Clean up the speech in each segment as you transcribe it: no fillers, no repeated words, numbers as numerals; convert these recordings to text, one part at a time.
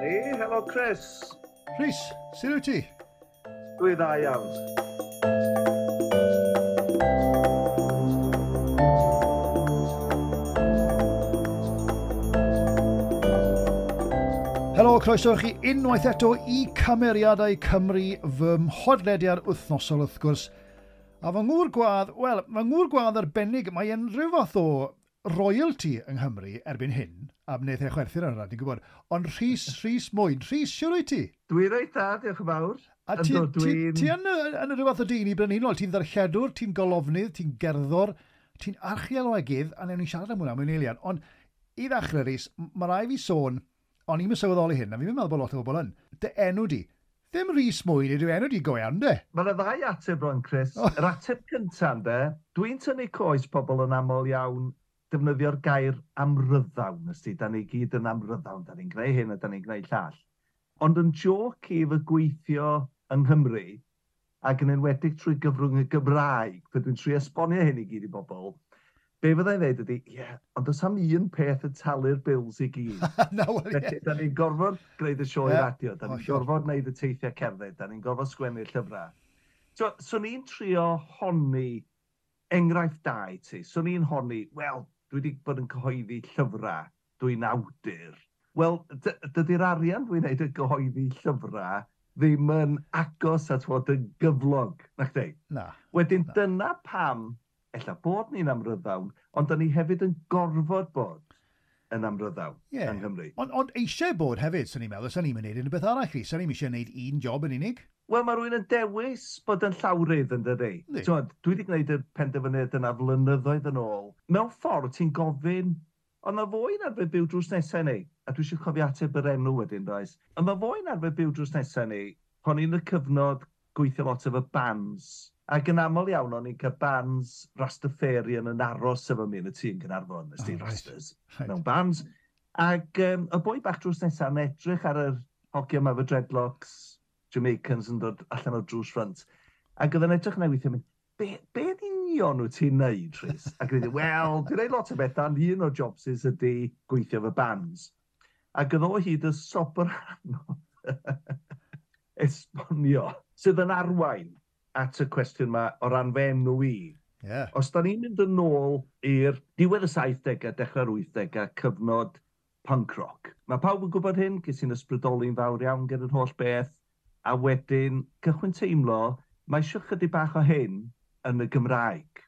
Hey, helo Chris. Rhys, sut wyt ti? Dwi dda iawn. Helo, croeso i chi unwaith eto i Cymeriadau Cymru, fy mhodlediad wythnosol wrth gwrs. A fy ngŵr gwadd, wel, fy ngŵr gwadd arbennig, mae e'n rhyw fath o royalty yng Nghymru erbyn hyn, a wnaeth e chwerthin ar hwnna, ti'n gwybod, ond Rhys, Rhys Mwyn. Rhys, siwr wyt ti? Dwi reit dda, diolch yn fawr. A ti, ti, ti yn, yn rhyw fath o dyn i brenhinol, ti'n ddarlledwr, ti'n golofnydd, ti'n gerddor, ti'n archeolegydd, a newn ni siarad am hwnna mewn eiliad. Ond i ddechrau, Rhys, mae rai fi sôn, o'n i'n sylweddoli hyn, a fi'n meddwl bod lot o bobl yn, dy enw di, Ddim Rhys Mwyn ydyw enw di go iawn, de? Mae yna ddau ateb rwan, Chris. Oh. Yr ateb cyntaf, de, dwi'n tynnu coes pobl yn aml iawn defnyddio'r gair amryddawn, ysdi. Da ni gyd yn amryddawn, da ni'n gwneud hyn a da ni'n gwneud llall. Ond yn joc i fy gweithio yng Nghymru, ac yn enwedig trwy gyfrwng y Gymraeg, pe dwi'n trio esbonio hyn i gyd i bobl, be fyddai'n dweud ydy, ie, yeah, ond does am un peth yn talu'r bills i gyd. No, well, yeah. Felly, da ni'n gorfod gwneud y sioe yeah. radio, da ni'n oh, gorfod gwneud y teithiau cerdded, da ni'n gorfod sgwennu'r llyfrau. So, so ni'n trio honni enghraifft da i ti. So ni'n honni, wel, dwi wedi bod yn cyhoeddi llyfrau, dwi'n awdur. Wel, dydy'r arian dwi'n neud yn gyhoeddi llyfrau ddim yn agos at fod yn gyflog, na chdi? Na. Wedyn na. Dyna pam ella bod ni'n amryddawn, ond da ni hefyd yn gorfod bod yn amryddawn yeah. yng Nghymru. Ond on eisiau bod hefyd, swn i'n meddwl, swn i'n mynd unrhyw beth arall chi, swn i'n eisiau gwneud un job yn unig. Wel, mae rhywun yn dewis bod yn llawrydd yn dydi. Dwi wedi gwneud y penderfyniad yna flynyddoedd yn ôl. Mewn ffordd, ti'n gofyn, ond na fo'n arfer byw drws nesau ni, a dwi eisiau cofio ateb yr enw wedyn, does? Ond na fo'n arfer byw drws nesau ni, pan i'n y cyfnod gweithio lot efo bands, ac yn aml iawn o'n i'n cael bands Rastafarian yn aros efo mi yn y tŷ yn Gaernarfon, ys di Rastas, mewn bands. Ac y boi bach drws nesaf yn edrych ar yr hogia yma efo dreadlocks, Jamaicans yn dod allan o'r drws front. Ac oedd yn edrych yna weithio mynd, be, be yn union wyt ti'n neud, Rhys? Ac oedd wel, dwi'n neud lot o bethau, ond un o'r jobsys ydy gweithio efo bands. Ac oedd o hyd y sobrano esbonio, sydd yn arwain at y cwestiwn yma o ran fy enw i. Yeah. Os da ni'n mynd yn ôl i'r diwedd y 70au, dechrau'r 80au, cyfnod punk rock. Mae pawb yn gwybod hyn, ges i'n ysbrydoli'n fawr iawn gyda'r holl beth, a wedyn cychwyn teimlo, mae eisiau chydig bach o hyn yn y Gymraeg.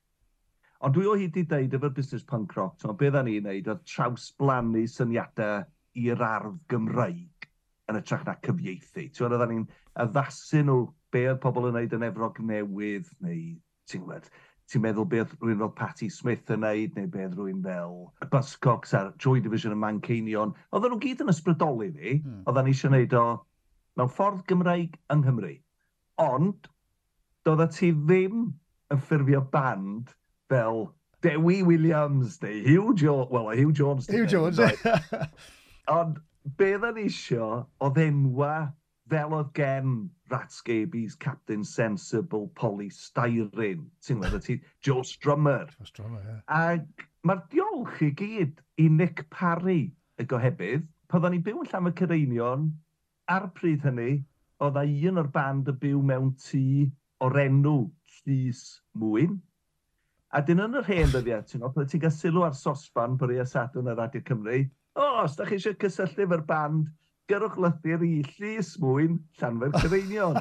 Ond dwi o hyd i ddeud efo'r busnes punk rock, so be dda ni'n neud oedd trawsblannu syniadau i'r ardd Gymraeg yn hytrach na cyfieithu. Ti'n gwybod, oedden ni'n addasu nhw be oedd pobl yn neud yn Efrog Newydd, neu ti'n gwybod, ti'n meddwl be oedd rhywun fel Patti Smith yn neud, neu be oedd rhywun fel Buzzcocks a'r Joy Division yn Manceinion. Oedden nhw gyd yn ysbrydoli fi, oedden ni eisiau neud o mewn ffordd Gymraeg yng Nghymru. Ond, doeddet ti ddim yn ffurfio band fel Dewi Williams neu Hugh Jones, well, Hugh Jones. Hugh Jones, Ond be oedden ni isio oedd enwa fel oedd gen Rat Scabies, Captain Sensible, Polly Styrene, ti'n gwybod, ti, Joe Strummer. Joe Strummer, ie. Yeah. Ac mae'r diolch i gyd i Nick Parry, y gohebydd. Pan oedden ni'n byw yn Llanfair Caereinion, ar y pryd hynny, oedd un o'r band y byw mewn tŷ o'r enw Llys Mwyn. A dyn yn yr hen ddyddiau, ti'n gwybod, ti'n cael sylw ar sosban bore Sadwrn ar Radio Cymru. O, os da chi eisiau cysylltu efo'r band, gyrwch lythyr i Llys Mwyn, Llanfair Caereinion.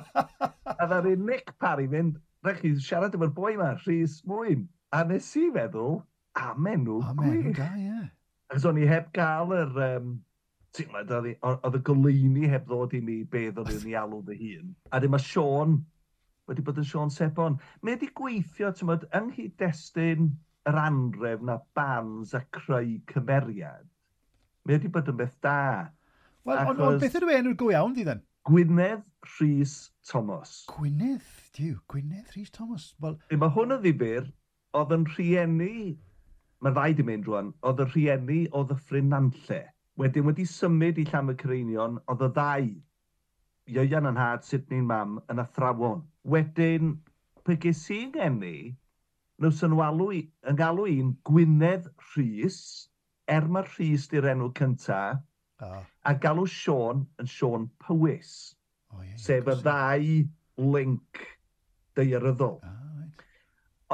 A ddaru Nick Parry fynd, rhaid chi siarad efo'r boi yma, Rhys Mwyn. A nes i feddwl, am enw Am enw da, ie. Achos o'n i heb gael yr... ti'n gwybod, oedd y goleuni heb ddod i mi beth oedd i'n ei alw fy hun. A dyma Siôn wedi bod yn Siôn Sebon. Mae wedi gweithio, ti'n gwybod, yng nghyd-destun yr anrefn a bands a creu cymeriad. Mae wedi bod yn beth da. Wel, ond on beth ydw enw'r go iawn di then? Gwynedd Rhys Thomas. Gwynedd, diw, Gwynedd Rhys Thomas. Wel... Mae hwn yn ddifyr, oedd yn rhieni, mae'r ddau di mynd rwan, oedd y rhieni o Ddyffryn Nantlle. Wedyn wedi symud i Llanfair Caereinion, oedd y ddau Ieuan yn nhad, Sydney'n mam, yn athrawon. Wedyn, pe ges i'n geni, nhw sy'n alw, yn galw i'n Gwynedd Rhys, er mae Rhys di'r enw cynta, a galw Siôn yn Siôn Powys. Oh, yeah, sef y ddau link daearyddol. Ah, right.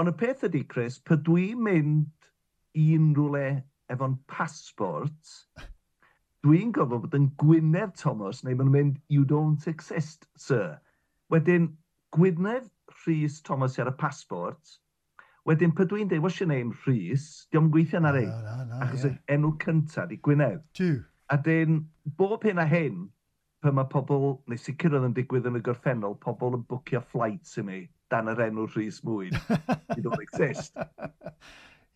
Ond y peth ydy, Chris, pe dwi'n mynd i unrhyw le efo'n passport, dwi'n gofod bod yn Gwynedd Thomas, neu maen nhw'n mynd, "You don't exist, sir." Wedyn, Gwynedd Rhys Thomas ar y passport. Wedyn, pe dwi'n dweud, "What's your name, Rhys?" Dio'm gweithio na rei. Na, na, achos y enw cyntaf di Gwynedd. Jiw. A dyn, bob hyn a hyn, pan mae pobl, neu sicr oedd yn digwydd yn y gorffennol, pobl yn bwcio flights i mi dan yr enw Rhys Mwyn. You don't exist.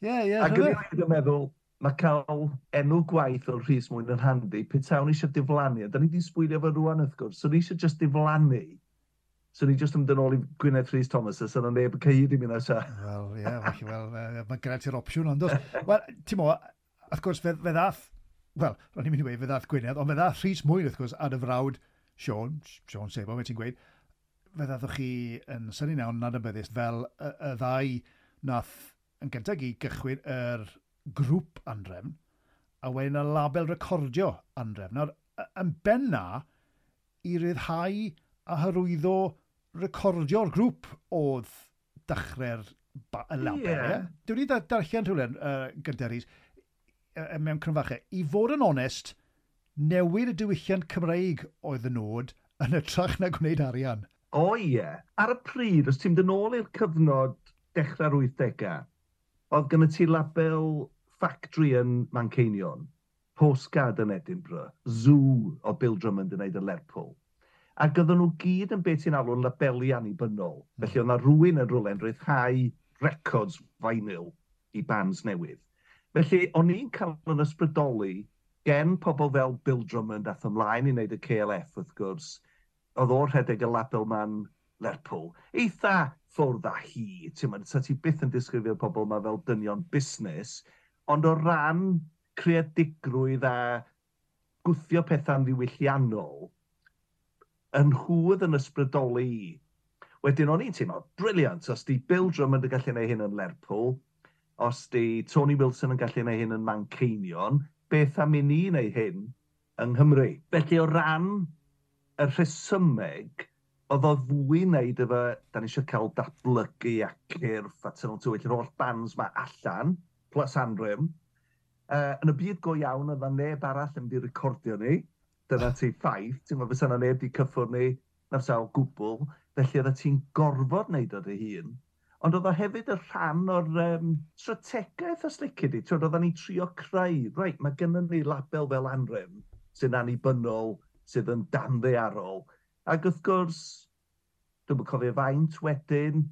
Ie, Ac yn i'n meddwl, mae cael enw gwaith o'r Rhys Mwyn yn handi, petawn eisiau diflannu, a da ni wedi sbwylio fo rwan wrth gwrs, so ni eisiau just diflannu, so ni just yn mynd yn ôl i Gwynedd Rhys Thomas, a sy'n neb yn cyhyd i mi na sa. Wel, ie, felly, wel, mae gyda ti'r opsiwn, ond dos. Wel, ti'n mo, wrth gwrs, fe ddath, wel, ro'n i'n mynd i weud, fe ddath Gwynedd, ond fe ddath Rhys Mwyn, wrth gwrs, a dy frawd Siôn, Siôn Sebo, fe ti'n gweud, fe ddathoch chi yn synnu iawn nad yn fel y ddau nath yn gyntaf i gychwyn yr grŵp Anhrefn, a wedyn y label recordio Anhrefn. Nawr, yn benna, i ryddhau a hyrwyddo recordio'r grŵp oedd dechrau'r y label. Yeah. Dwi wedi darllen rhywle gyda Rhys, mewn crynfachau. I fod yn onest, newid y diwylliant Cymreig oedd y nod yn hytrach na gwneud arian. O ie. Yeah. Ar y pryd, os ti'n mynd yn ôl i'r cyfnod dechrau'r 80au, oedd gen ti label Factory yn Manceinion, Postcard yn Edinburgh, Zoo o Bill Drummond yn neud yn Lerpwl. Ac oedden nhw gyd yn beth ti'n alw'n labeli annibynnol. Felly oedd yna rhywun yn rhywle yn rhyddhau records vinyl i bands newydd. Felly, o'n i'n cael yn ysbrydoli gen pobl fel Bill Drummond ath ymlaen i wneud y KLF, wrth gwrs. Oedd o'r rhedeg y label ma'n Lerpwl. Eitha ffwrdd â hi, ti'n mynd, sa ti byth yn disgrifio'r pobl yma fel dynion busnes, ond o ran creadigrwydd a gwthio pethau'n ddiwylliannol, yn hwydd yn ysbrydoli i. Wedyn o'n i'n teimlo, brilliant, os di Bill Drummond yn gallu gwneud hyn yn Lerpwl, os di Tony Wilson yn gallu gwneud hyn yn Manceinion, beth am i ni wneud hyn yng Nghymru? Felly o ran y rhesymeg, oedd o fwy wneud efo, da ni eisiau cael Datblygu a Cyrff a Tynal Tywyll, yr holl bands ma allan, plus Anhrefn. Yn y byd go iawn, oedd na neb arall yn mynd i recordio ni. Dyna ti ffaith, ti'n meddwl fysa na neb di cyffwrdd ni, na fysa o gwbl. Felly oedd ti'n gorfod wneud o dy hun. Ond oedd o hefyd y rhan o'r strategaeth os lici di. Ti'n oedden ni trio creu, reit, mae gennym ni label fel Anhrefn sy'n annibynnol, sydd yn danddaearol. Ac wrth gwrs, dwi'n cofio faint wedyn,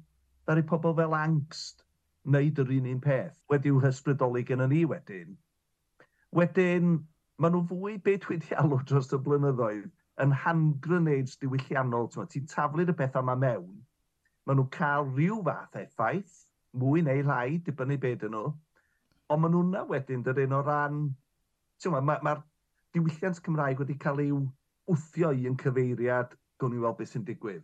ddaru pobl fel Ankst wneud yr un peth, wedi'w hysbrydoli gen ni wedyn. Wedyn, maen nhw fwy beth dwi wedi alw dros y blynyddoedd yn hand grenades diwylliannol. Ti'n taflu'r y pethau yma mewn, maen nhw'n cael rhyw fath effaith, mwy neu lai, dibynnu beth ydyn nhw, ond maen nhw'na wedyn, dydyn, o ran... Mae'r ma diwylliant Cymraeg wedi cael ei wthio i yn cyfeiriad, gawn ni weld beth sy'n digwydd.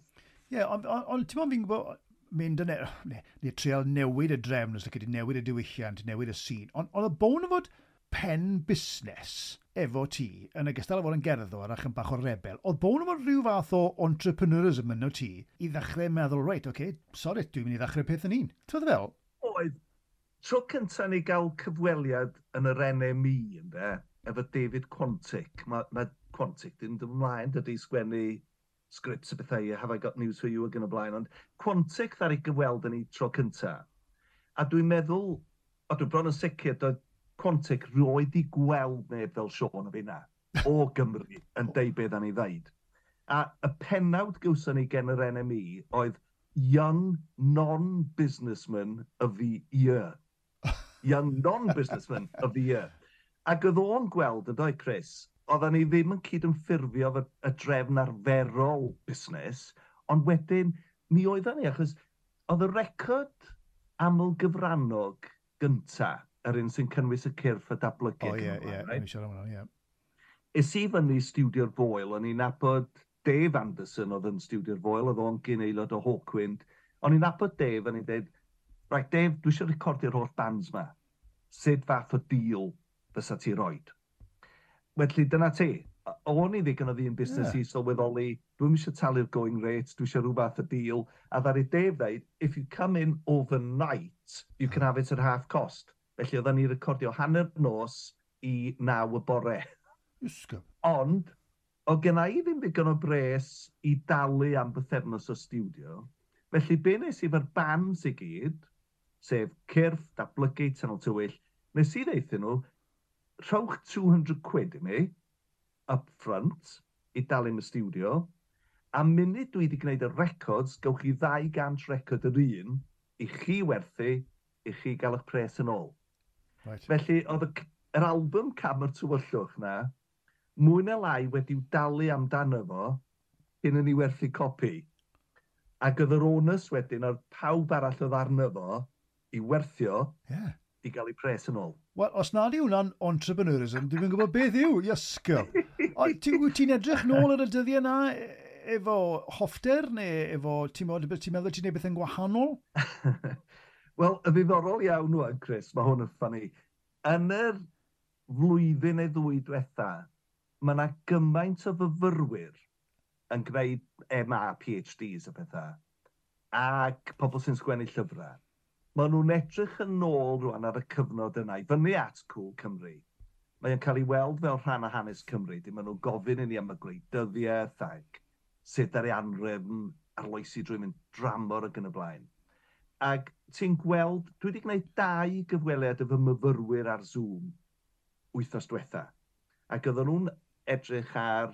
Ie, yeah, ond on, on, ti'n fi'n gwybod, mynd yn, neu trial newid y drefn, os ydych newid y diwylliant, newid y sîn. Ond on, y bôn o fod pen busnes efo ti, yn ogystal â fod yn gerddor ac yn bach o rebel, oedd bôn o fod rhyw fath o entrepreneurism yno ti i ddechrau meddwl, reit, oce, okay, sorry, dwi'n mynd i ddechrau peth yn un. Ti'n fel? Oedd. Tro cyntaf ni gael cyfweliad yn yr NME, ynde, efo David Quantick. Mae ma Quantick ddim yn ymlaen, dydy, sgwennu scripts a bethau, "Have I Got News For You" ac yn y blaen, ond Quantick ddaru gyfweld yn ei tro cynta. A dwi'n meddwl, a dwi'n bron yn sicr, doedd Quantick roed i gweld neb fel Siôn a finna, o Gymru, yn deud beth ni ddeud. A y pennawd gawson ni gen yr NME oedd "Young Non-Businessman of the Year". Young Non-Businessman of the Year. Ac oedd o'n gweld, yn dweud Chris, oedden ni ddim yn cyd-ymffurfio efo y drefn arferol busnes, ond wedyn mi oedden ni, achos oedd y record aml gyfrannog gynta, yr un sy'n cynnwys y Cyrff a Datblygu. O ie, ie, ni'n siarad am hwnna, ie. Es i fyny studio'r Foel, o'n i'n nabod Dave Anderson oedd yn Studio'r Foel, oedd o'n gyn aelod o Hawkwind. O'n i'n nabod Dave, a ni'n dweud, "Right, Dave, dwi eisiau recordio'r holl bands ma. Sut fath o deal fysa ti roid?" Felly dyna ti. O'n i ddigon o ddyn busnes i sylweddoli, dwi'n eisiau talu'r going rate, dwi eisiau rhywbeth o deal. A ddaru Dave dweud, "If you come in overnight, you can have it at half cost." Felly oedden ni recordio hanner nos i 9 y bore. Ysgol. Ond, o genna i ddim ddigon o bres i dalu am bythefnos o studio. Felly be nes i efo'r bands i gyd, sef Cyrff, Datblygu, Tynal Tywyll, nes i ddeithio nhw, "Rhowch £200 i mi, up front, i dalu am y studio, a munud dwi wedi gwneud y records, gawch chi 200 record yr un, i chi werthu, i chi gael eich pres yn ôl." Felly, oedd yr album Cam o'r Tywyllwch na, mwy na lai wedi'w dalu amdano fo, cyn i ni werthu copi. Ac oedd yr onus wedyn ar pawb arall oedd arno fo i werthio i gael eu pres yn ôl. Wel, os nad yw hwnna'n entrepreneurism, dwi'n gwybod beth yw, iasgob. Ti'n edrych nôl ar y dyddiau na efo hoffter neu efo, ti'n meddwl ti'n neud beth yn gwahanol? Wel, y ddiddorol iawn nhw, Chris, mae hwn yn funny. Yn yr flwyddyn neu ddwy diwetha, mae yna gymaint o fyfyrwyr yn gwneud MA, PhDs a pethau, ac pobl sy'n sgwennu llyfrau. Maen nhw'n edrych yn ôl rwan ar y cyfnod yna, i fyny at Cŵl Cymru. Mae o'n cael ei weld fel rhan o hanes Cymru. Dim maen nhw'n gofyn i ni am y gwleidyddiaeth ac sut ar ei anrefn, arloesi drwy mynd dramor ac yn y blaen. Ac ti'n gweld, dwi wedi gwneud dau gyfweliad efo myfyrwyr ar Zoom wythnos diwetha. Ac oedden nhw'n edrych ar,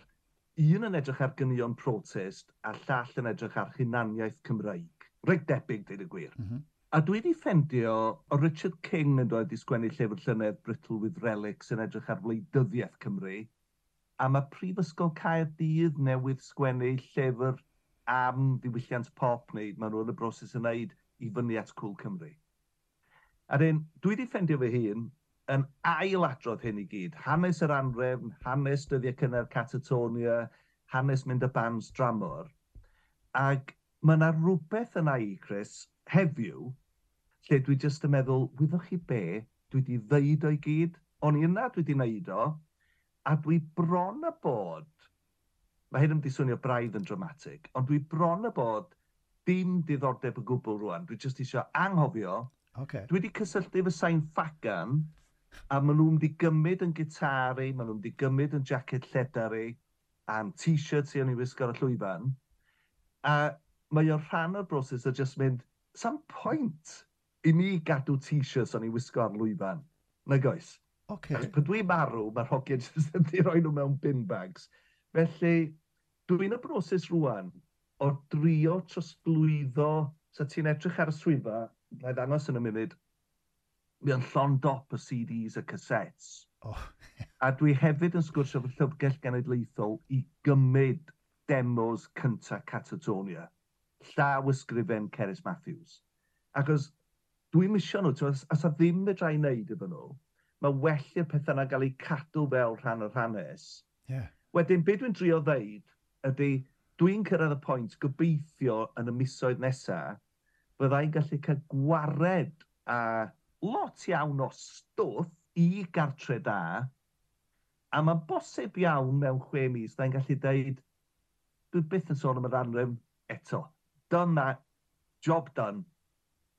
un yn edrych ar ganeuon protest a llall yn edrych ar hunaniaeth Cymreig. Reit debyg, dweud y gwir. A dwi wedi ffendio o Richard King yn dod i sgwennu llyfr llynedd, Brittle with Relics, yn edrych ar wleidyddiaeth Cymru. A mae Prifysgol Caerdydd newydd sgwennu llyfr am ddiwylliant pop, neu maen nhw yn y broses yn wneud i fyny at Cŵl Cymru. A dyn, dwi wedi ffendio fy hun yn ailadrodd hyn i gyd. Hanes yr anrefn, hanes dyddiau cynnar Catatonia, hanes mynd y bands dramor. Ac mae yna rhywbeth yna i, Chris, heddiw, lle dwi jyst yn meddwl, wyddoch chi be, dwi wedi ddeud o'i gyd, o'n i yna, dwi wedi wneud o, a dwi bron a bod, mae hyn yn mynd i swnio braidd yn dramatic, ond dwi bron a bod dim diddordeb o gwbl rwan. Dwi jyst eisiau anghofio. Dwi wedi cysylltu efo Sain Ffagan, a maen nhw'n mynd i gymryd yn gitar i, maen nhw'n mynd i gymryd yn jacket lledar i, a'n t-shirt i o'n i wisgo ar y llwyfan. A mae o'n rhan o'r broses o just mynd, sa'm pwynt i mi gadw t-shirts o'n i wisgo ar lwyfan. Nag oes? Achos pan dwi'n marw, mae'r hogiau jyst yn di roi nhw mewn bin bags. Felly, dwi'n y broses rwan o drio trosglwyddo, sa ti'n edrych ar y swyddfa, na i ddangos yn y munud, mi o'n llond dop o CDs a cassettes. A dwi hefyd yn sgwrsio fy Llyfrgell Genedlaethol i gymryd demos cynta Catatonia. Llaw ysgrifen Cerys Matthews. Achos dwi'n misio nhw, ti'n meddwl, os a ddim fedra i wneud efo nhw, mae well i'r pethau yna gael eu cadw fel rhan o'r hanes. Wedyn, be dwi'n drio ddeud ydy, dwi'n cyrraedd y pwynt gobeithio yn y misoedd nesaf, byddai'n gallu cael gwared a lot iawn o stwff i gartre da, a mae'n bosib iawn mewn 6 mis, byddai'n gallu deud, dwi byth yn sôn am yr anrefn eto. Done that, job done,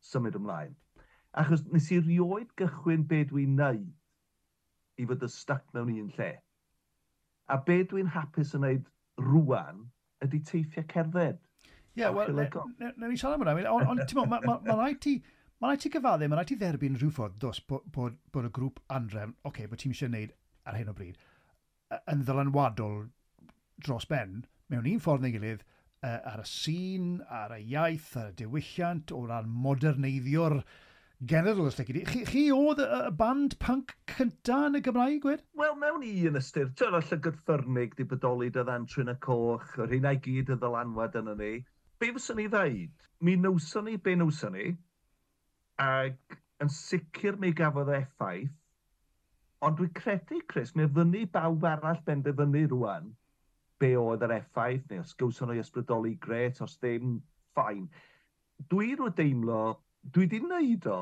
symud ymlaen. Achos nes i rioed gychwyn be dwi'n neud i fod yn stuck mewn un lle. A be dwi'n hapus yn neud rwan ydy teithio cerdded. Ie, wel, newn ni siarad am hwnna. Ond, ti'n ma rhaid ti, ma rhaid ti gyfadde, mae rhaid ti dderbyn rhyw ffordd, dos, bod y grŵp Anrefn, okay, bod ti'n eisiau gwneud ar hyn o bryd, yn ddylanwadol dros ben, mewn un ffordd neu gilydd, ar y sîn, ar y iaith, ar y diwylliant, o ran moderneiddio'r genedl, os lici di. Chi oedd y band punk cynta yn y Gymraeg, gwed? Wel, mewn un ystyr, ti'n y Llygad Ffyrnig di bodoli dyddan Trwyn y Coch, yr hynna i gyd y ddylanwad yna ni. Be fyswn i ddeud? Mi newson ni be newson ni, ac yn sicr mi gafodd effaith, ond dwi'n credu, Chris, mi fyny bawb arall benderfynu rwan. be oedd yr effaith, neu os gawson nhw ysbrydoli, gret, os ddim, fine. Dwi rwy deimlo, dwi di wneud o,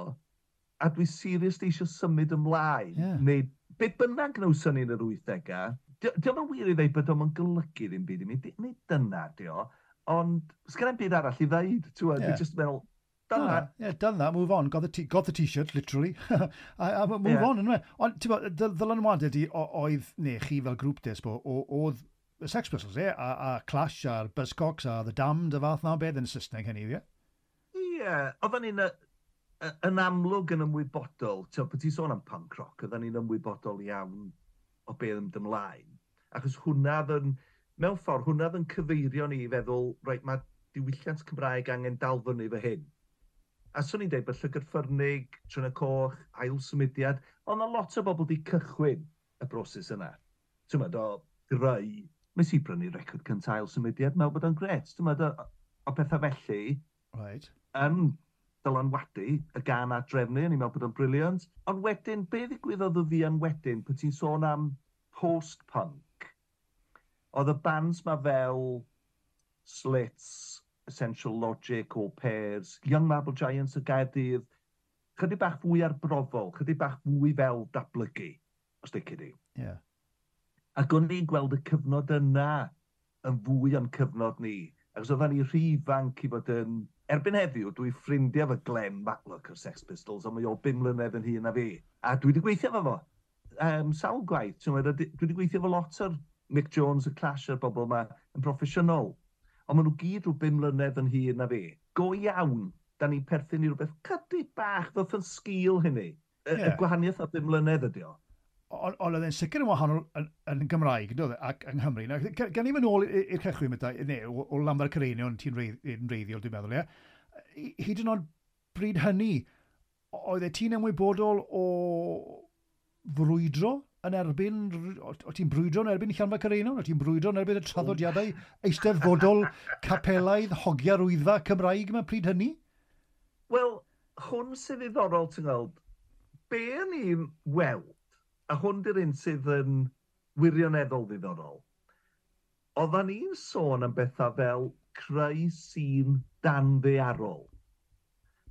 a dwi seriously eisiau symud ymlaen, neu be bynnag gnawson ni yn yr 80au. Dio'm yn wir i ddeud bod o'm yn golygu ddim byd i mi, nid dyna dio, ond sgen i'm byd arall i ddeud, ti'n yeah. Dwi just meddwl, done that. Yeah, done that, move on. Got the T-shirt, literally. A move on, yndyfe? Ond, ti'n bod, ddylanwadau di oedd, neu chi fel grŵp desbo, oedd y Sex Pistols, e, a Clash, a'r Buzzcocks, a The Damned, y fath na beth yn Saesneg hynny, ie? Ie, oedden ni'n yn amlwg yn ymwybodol, ti'n bod ti'n sôn am punk rock, oedden ni'n ymwybodol iawn o beth yn ymlaen. Achos hwnna oedd yn, mewn ffordd, hwnna oedd yn cyfeirio ni i feddwl, reit, mae diwylliant Cymraeg angen dal fyny fy hyn. A swn i'n dweud bod Llygad Ffyrnig, Trwyn y Coch, Ail Symudiad, ond yna lot o bobl wedi cychwyn y broses yna. Ti'n meddwl, o greu, nes i brynu record cyntaf Ail Symudiad, meddwl bod o'n gret. Ti'n meddwl, o bethau felly, yn dylanwadu y gan a drefnu, o'n i'n meddwl bod o'n brilliant. Ond wedyn, be ddigwyddodd y fuan wedyn, pan ti'n sôn am post-punk, oedd y bands ma fel Slits, Essential Logic, All Pairs, Young Marble Giants o Gaerdydd, chydig bach fwy arbrofol, chydig bach fwy fel Datblygu, os lici di. Ac o'n i'n gweld y cyfnod yna yn fwy o'n cyfnod ni. Achos oedden ni rhy ifanc i fod yn... Erbyn heddiw, dwi ffrindiau efo Glenn Matlock o'r Sex Pistols, ond mae o 5 mlynedd yn hŷn na fi. A dwi wedi gweithio efo fo. Sawl gwaith. Ti'n meddwl, dwi wedi gweithio efo lot o'r Mick Jones, y Clash a'r bobl yma yn broffesiynol. Ond maen nhw gyd rhyw 5 mlynedd yn hŷn na fi. Go iawn, da ni'n perthyn i rhywbeth chydig bach ddoth yn sgil hynny. Y gwahaniaeth o 5 mlynedd ydi o. Ond oedd e'n sicr yn wahanol yn Gymraeg, doedd e, ac yng Nghymru. Nawr, gan i fynd nôl i'r cychwyn, Meta, neu o Lanfair Caereinion, ti'n reiddiol, dwi'n meddwl, ie? Hyd yn oed bryd hynny, oedd e ti'n ymwybodol o frwydro yn erbyn, o ti'n brwydro yn erbyn Llanfair Caereinion? O ti'n brwydro yn erbyn y traddodiadau eisteddfodol, capelaidd, hogia'r Wyddfa Cymraeg yma pryd hynny? Wel, hwn sydd ddiddorol, ti'n gweld, be o'n i'n weld, a hwn di'r un sydd yn wirioneddol ddiddorol, oeddan ni'n sôn am bethau fel creu sîn danddaearol.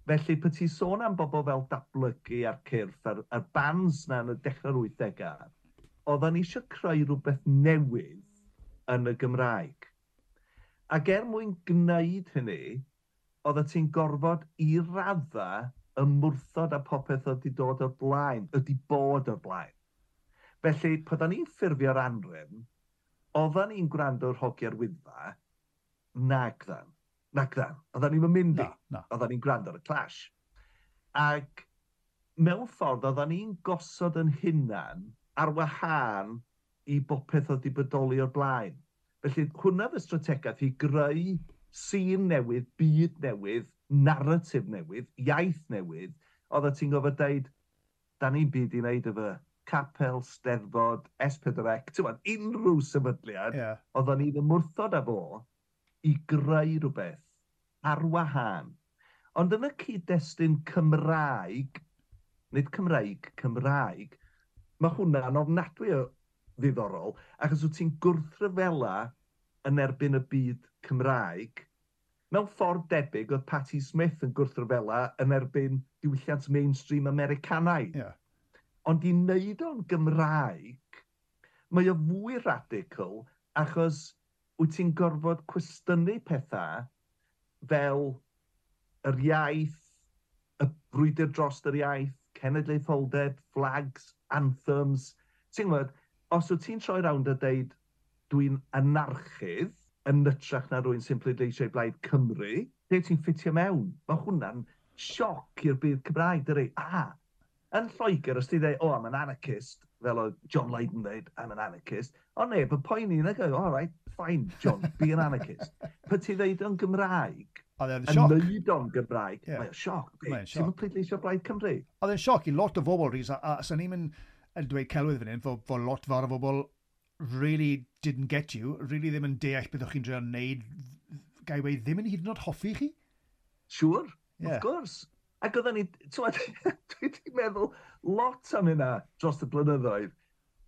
Felly, pe ti'n sôn am bobl fel Datblygu a'r Cyrff, a'r bands na yn y dechrau'r 80au, oeddan ni eisiau creu rhywbeth newydd yn y Gymraeg. Ac er mwyn gwneud hynny, oeddet ti'n gorfod i radda ymwrthod â popeth oedd wedi dod o'r blaen, ydi bod o'r blaen. Felly, pan ni'n ffurfio'r Anhrefn, oeddan ni'n gwrando ar Hogia'r Wyddfa, nagddan. Nagddan. Oeddan ni'n mynd i. Na, na. Oeddan ni'n gwrando ar y Clash. Ac mewn ffordd, oeddan ni'n gosod yn hunan ar wahân i bopeth oedd wedi bodoli o'r blaen. Felly, hwnna oedd y strategaeth i greu sîn newydd, byd newydd, narratif newydd, iaith newydd, oeddet ti'n gofod deud, da ni'n byd i wneud efo capel, steddfod, S4C, ti'n gwbod, unrhyw sefydliad, oedden ni'n ymwrthod â fo i greu rhywbeth ar wahân. Ond yn y cyd-destun Cymraeg, nid Cymraeg, Cymraeg, mae hwnna'n ofnadwy o ddiddorol, achos wyt ti'n gwrthryfela yn erbyn y byd Cymraeg. Mewn ffordd debyg oedd Patti Smith yn gwrthryfela yn erbyn diwylliant mainstream Americanaidd. Ond i wneud o'n Gymraeg, mae o fwy radical achos wyt ti'n gorfod cwestiynu pethau fel yr iaith, y brwydr dros yr iaith, cenedlaetholdeb, flags, anthems. Ti'n gwybod, os wyt ti'n troi rownd a deud dwi'n anarchydd yn hytrach na rhywun sy'n pleidleisio i Blaid Cymru, lle ti'n ffitio mewn? Mae hwnna'n sioc i'r byd Cymraeg, dydi? A, yn Lloegr, os ti'n dweud, oh, I'm an anarchist, fel oedd John Lydon dweud, I'm an anarchist, o neb yn poeni, na go, all right, fine, John, be an anarchist. Pe ti'n dweud o'n Gymraeg, Oedd e'n yn sioc. neud o'n Gymraeg, mae o'n sioc. Mae o'n Ti'n sioc. mynd pleidleisio Blaid Cymru? Oedd e'n sioc i lot o bobl, Rhys, a sa'n ni'n mynd yn dweud celwydd fan hyn, fo lot fawr o bobl really didn't get you, really ddim yn deall beth o'ch chi'n trio wneud, gai weud, ddim yn hyd yn oed hoffi chi? Siŵr, of course. Ac oedden ni, t'mod, dwi wedi meddwl lot am hynna dros y blynyddoedd.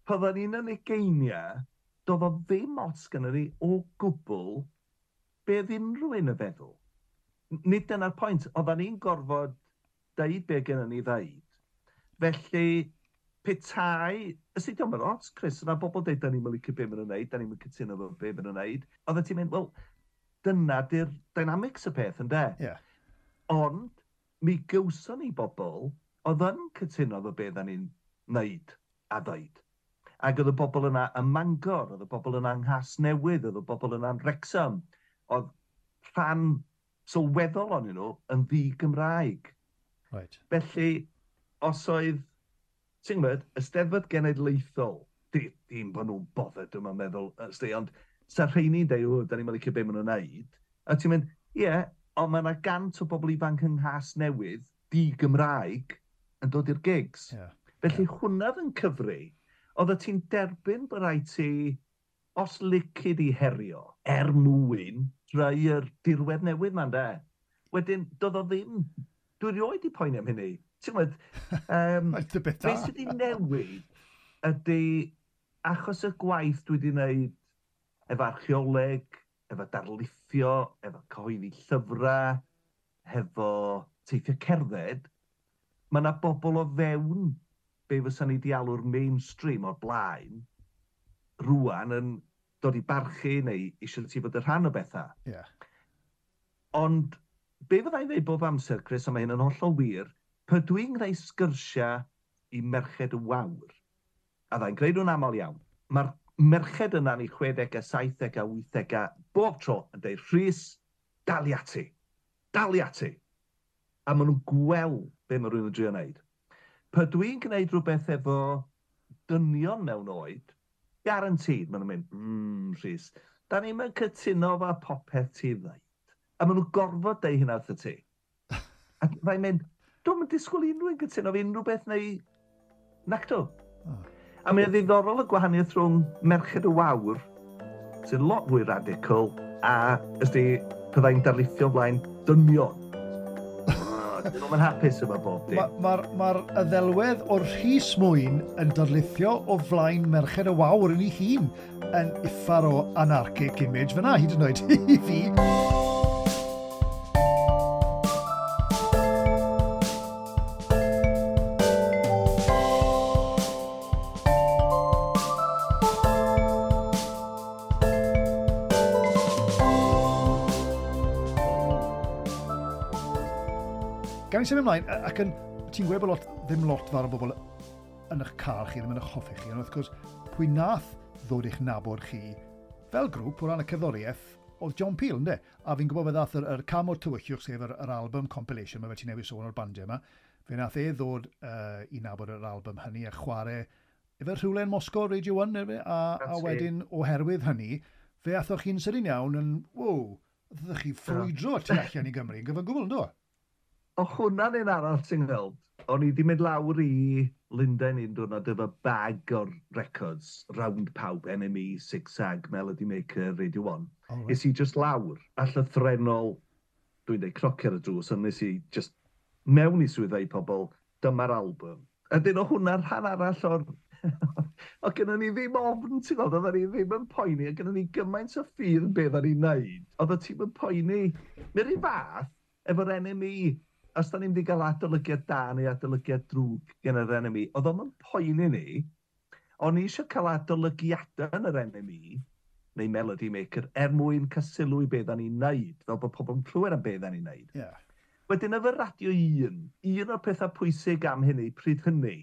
Pan oedden ni'n yn ugeiniau, Doedd o ddim ots gynnon ni o gwbl be oedd unrhyw un yn feddwl. Nid dyna'r pwynt, oedden ni'n gorfod deud be gynnon ni ddeud. Felly, petai, ysdi diolch yn ots, Chris, yna bobl deud, da ni'n licio be maen nhw'n neud, da ni'n cytuno efo be maen nhw'n neud. Oedden ti'n mynd, wel, dyna di'r dynamics y peth, ynde? Yeah. Ond, mi gywson ni bobl oedd yn cytuno efo be da ni'n neud a ddeud. Ac oedd y bobl yna ym Mangor, oedd y bobl yna yng Nghasnewydd, oedd y bobl yna yn Wrexham. Oedd rhan sylweddol onyn nhw yn ddi-Gymraeg. Right. Felly, os oedd, ti'n gwybod, y Steddfod Genedlaethol, dim bod nhw'n bothered, dwi'n meddwl, ysdi, ond sa rheini'n deud, o, da ni'n licio be maen nhw'n neud, a ti'n mynd, ie, yeah, ond mae yna 100 o bobl ifanc yng Nghasnewydd, di-Gymraeg, yn dod i'r gigs. Yeah. Felly hwnna oedd yn cyfri, oedd ti'n derbyn bod rhaid ti, os licid i herio, er mwyn creu'r dirwedd newydd ma'n de. Wedyn, doedd o ddim, dwi erioed di poeni am hynny. Ti'n gwybod, beth sydd wedi newid ydy, achos y gwaith dwi wedi wneud efo archeoleg, efo darlithio, efo cyhoeddi llyfrau, hefo teithio cerdded, mae yna bobl o fewn be fysa ni di alw'r mainstream o'r blaen, rwan yn dod i barchu neu eisiau ti fod yn rhan o bethau. Yeah. Ond be fydda i'n dweud bob amser, Chris, a mae hyn yn hollol wir, pe dwi'n gwneud sgyrsiau i Merched y Wawr, a ddai'n gwneud nhw'n aml iawn, mae'r merched yna yn eu 60au, 70au, 80au, bob tro yn dweud, Rhys, dal i ati, dal i ati. A maen nhw'n gweld be mae rhywun yn drio wneud. Pe dwi'n gwneud rhywbeth efo dynion mewn oed, guaranteed, maen nhw'n mynd, Rhys, da ni'n mynd cytuno efo popeth ti ddeud. A maen nhw'n gorfod deud hynna wrtho ti. A fai'n mynd, dwi'm yn disgwyl unrhyw un cytuno efo unrhyw beth neu nacdo. Oh. A mae'n ddiddorol y gwahaniaeth rhwng Merched y Wawr, sy'n lot fwy radical, a ysdi, byddai'n darlithio flaen dynion. Dyn nhw'n hapus efo bob dim. Mae'r ddelwedd o'r Rhys Mwyn yn darlithio o flaen Merched y Wawr yn ei hun yn uffar o anarchic image fyna, hyd yn oed i fi. Gan i symud ymlaen, ac yn, ti'n gweud bod lot, ddim lot fawr o bobl yn eich car chi, ddim yn eich hoffi chi, ond wrth gwrs, pwy nath ddod i'ch nabod chi fel grŵp o ran y cerddoriaeth oedd John Peel, ynddo? A fi'n gwybod fe ddath yr Cam o'r Tywyllwch, sef yr album compilation, mae fe ti'n newid sôn o'r bandiau yma, fe nath e ddod i nabod yr album hynny a chwarae efe rhywle yn Moscow, Radio 1, neu fe, a wedyn oherwydd hynny, fe athoch chi'n sydyn iawn yn, wow, ddech chi ffrwydro tu allan i Gymru yn gyfan gwbl, ynddo? O hwnna'n un arall ti'n gweld. O'n i wedi mynd lawr i Lundain un diwrnod efo bag o'r records, round pawb, NME, Zigzag, Melody Maker, Radio 1. Oh, right. Nes i just lawr, a llythrennol, dwi'n dweud crocio ar y drws, ond nes i just mewn i swyddau pobl, dyma'r album. A dyn o hwnna'n rhan arall o'r... O gynnon ni ddim ofn, ti'n gweld, oedden ni ddim yn poeni, a gynnon ni gymaint o ffydd yn beth o'n i'n neud. Oedd y tîm yn poeni. Mae'r un fath, efo'r NME, os da ni'n mynd i gael adolygiad da neu adolygiad drwg gen yr NME, oedd o'm yn poeni ni, o'n i eisiau cael adolygiadau yn yr NME, neu Melody Maker, er mwyn cael sylw i beth da ni'n neud, fel bod pobl yn clywed am beth da ni'n neud. Yeah. Wedyn efo Radio 1, un o'r pethau pwysig am hynny, pryd hynny,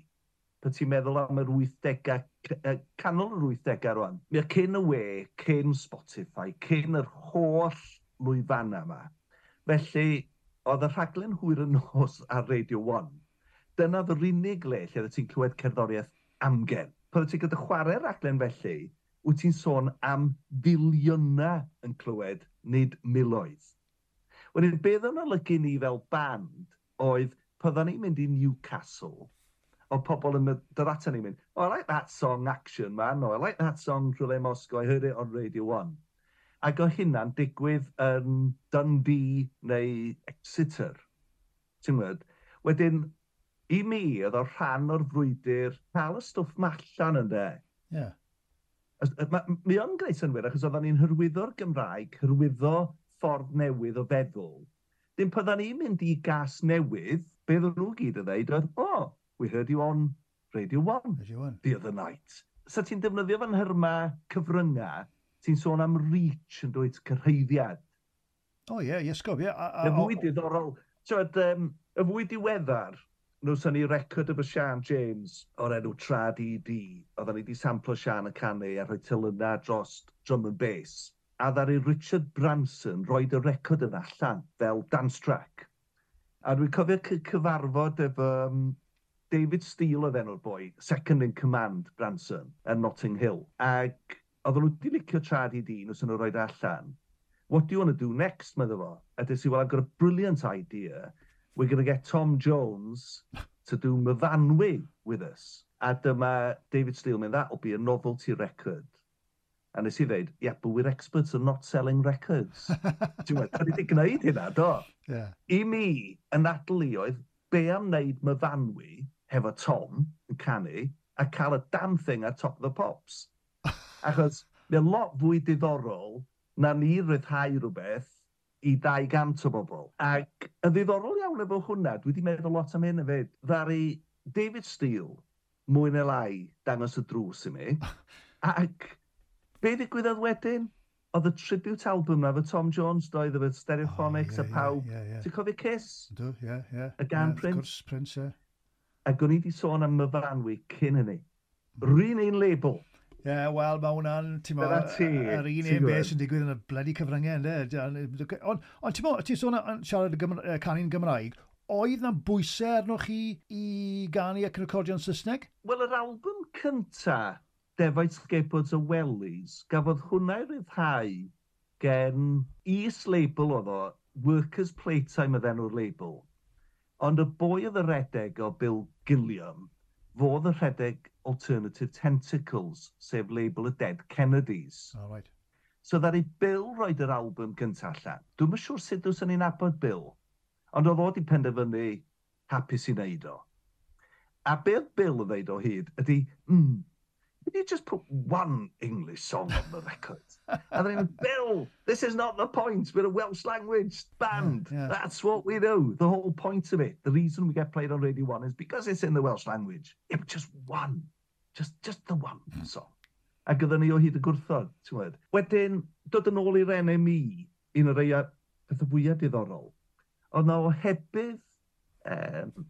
pan ti'n meddwl am yr 80au, canol yr 80au rwan, mi oedd cyn y we, cyn Spotify, cyn yr holl lwyfannau yma. Felly, oedd y rhaglen hwyr y nos ar Radio 1, dyna oedd yr unig le lle oedd ti'n clywed cerddoriaeth amgen. Pan oedd ti'n gyda chwarae rhaglen felly, wyt ti'n sôn am filiynau yn clywed, nid miloedd. Wedyn, beth o'n olygu ni fel band oedd, pan ni'n mynd i Newcastle, oedd pobl yn dod ato ni'n mynd, oh, I like that song Action Man, or I like that song Rhywle Moscow, I heard it on Radio 1. Ac o hynna'n digwydd yn Dundee neu Exeter. Ti'n gwybod? Wedyn, i mi, oedd o rhan o'r frwydr cael y stwff ma allan ynde. Yeah. Mi o'n gwneud synnwyr, achos oedden ni'n hyrwyddo'r Gymraeg, hyrwyddo ffordd newydd o feddwl. Dim pan ni'n mynd i Gasnewydd, be oedden nhw gyd yn dweud oedd, "Oh, we heard you on Radio 1 Radio 1. the other night." So ti'n defnyddio fan hyrma cyfryngau, ti'n sôn am reach yn dweud, cyrhaeddiad. O ie, iesgob, ie. Y fwy diddorol, t'wod, y fwy diweddar, newson ni record efo Sian James o'r enw Trad ED. Oedden ni wedi samplo Sian y canu a rhoi telynau dros drum and bass. A ddaru Richard Branson roed y record yna allan fel dance track. A dwi'n cofio cyfarfod efo David Steele oedd enw'r boi, second in command Branson, yn Notting Hill. Ac oedden nhw wedi licio Trad ED, nhw sy'n nhw roed allan. "What do you want to do next?" medde fo. A des i, "Well, I've got a brilliant idea. We're going to get Tom Jones to do Myfanwy with us." A dyma David Steele mynd, "That'll be a novelty record." A nes i ddeud, "Yeah, but we're experts at not selling records." Ti'n meddwl, da ni wedi gwneud hynna, do? Yeah. I mi, y nadl i oedd, be am wneud Myfanwy hefo Tom yn canu a cael y damn thing ar Top of the Pops? Achos mae'n lot fwy diddorol na ni ryddhau rhywbeth i 200 o bobl. Ac y ddiddorol iawn efo hwnna, dwi wedi meddwl lot am hyn hefyd, ddaru David Steele, mwy neu lai, dangos y drws i mi. Ac be ddigwyddodd wedyn? Oedd y tribute album na efo Tom Jones, doedd, efo Stereophonics a pawb. Ie, ie. Ti'n cofio Kiss? Ydw, ie. Y gan Wrth Prince? gwrs, Prince, ie. Ac o'n i wedi sôn am Myfanwy cyn hynny. Run un label. Ie, yeah, wel, mae hwnna'n, ti'n mo, Dyna ti, yr un ti'n un beth gwbod. sy'n digwydd yn y bloody cyfryngau, yndê? Ond ti'n mo, ti'n sôn am siarad y canu'n Gymraeg, oedd na bwysau arnoch chi i ganu ac recordio'n Saesneg? Wel, yr album cynta, Defaid Skateboards a Wellies, gafodd hwnna ei ryddhau gen is-label oedd o, Workers Playtime oedd enw'r label. Ond y boi oedd y redeg o Bill Gilliam, fodd y rhedeg Alternative Tentacles, sef label y Dead Kennedys. Oh, right. So ddaru Bill roed yr album gyntaf allan. Dwi'm yn siŵr sut dwyswn ni'n nabod Bill. Ond oedd o wedi penderfynu hapus i wneud o. A be oedd Bill yn dweud o hyd ydy, "Can you just put one English song on the record?" And then, "Bill, this is not the point. We're a Welsh language band. That's what we do. The whole point of it. The reason we get played on Radio 1 is because it's in the Welsh language. Yeah, but just one. Just the one song." Ac oedden ni o hyd y gwrthod, ti'n gwybod. Wedyn, dod yn ôl i'r NME, un o'r rhai pethau fwyaf diddorol, oedd na ohebydd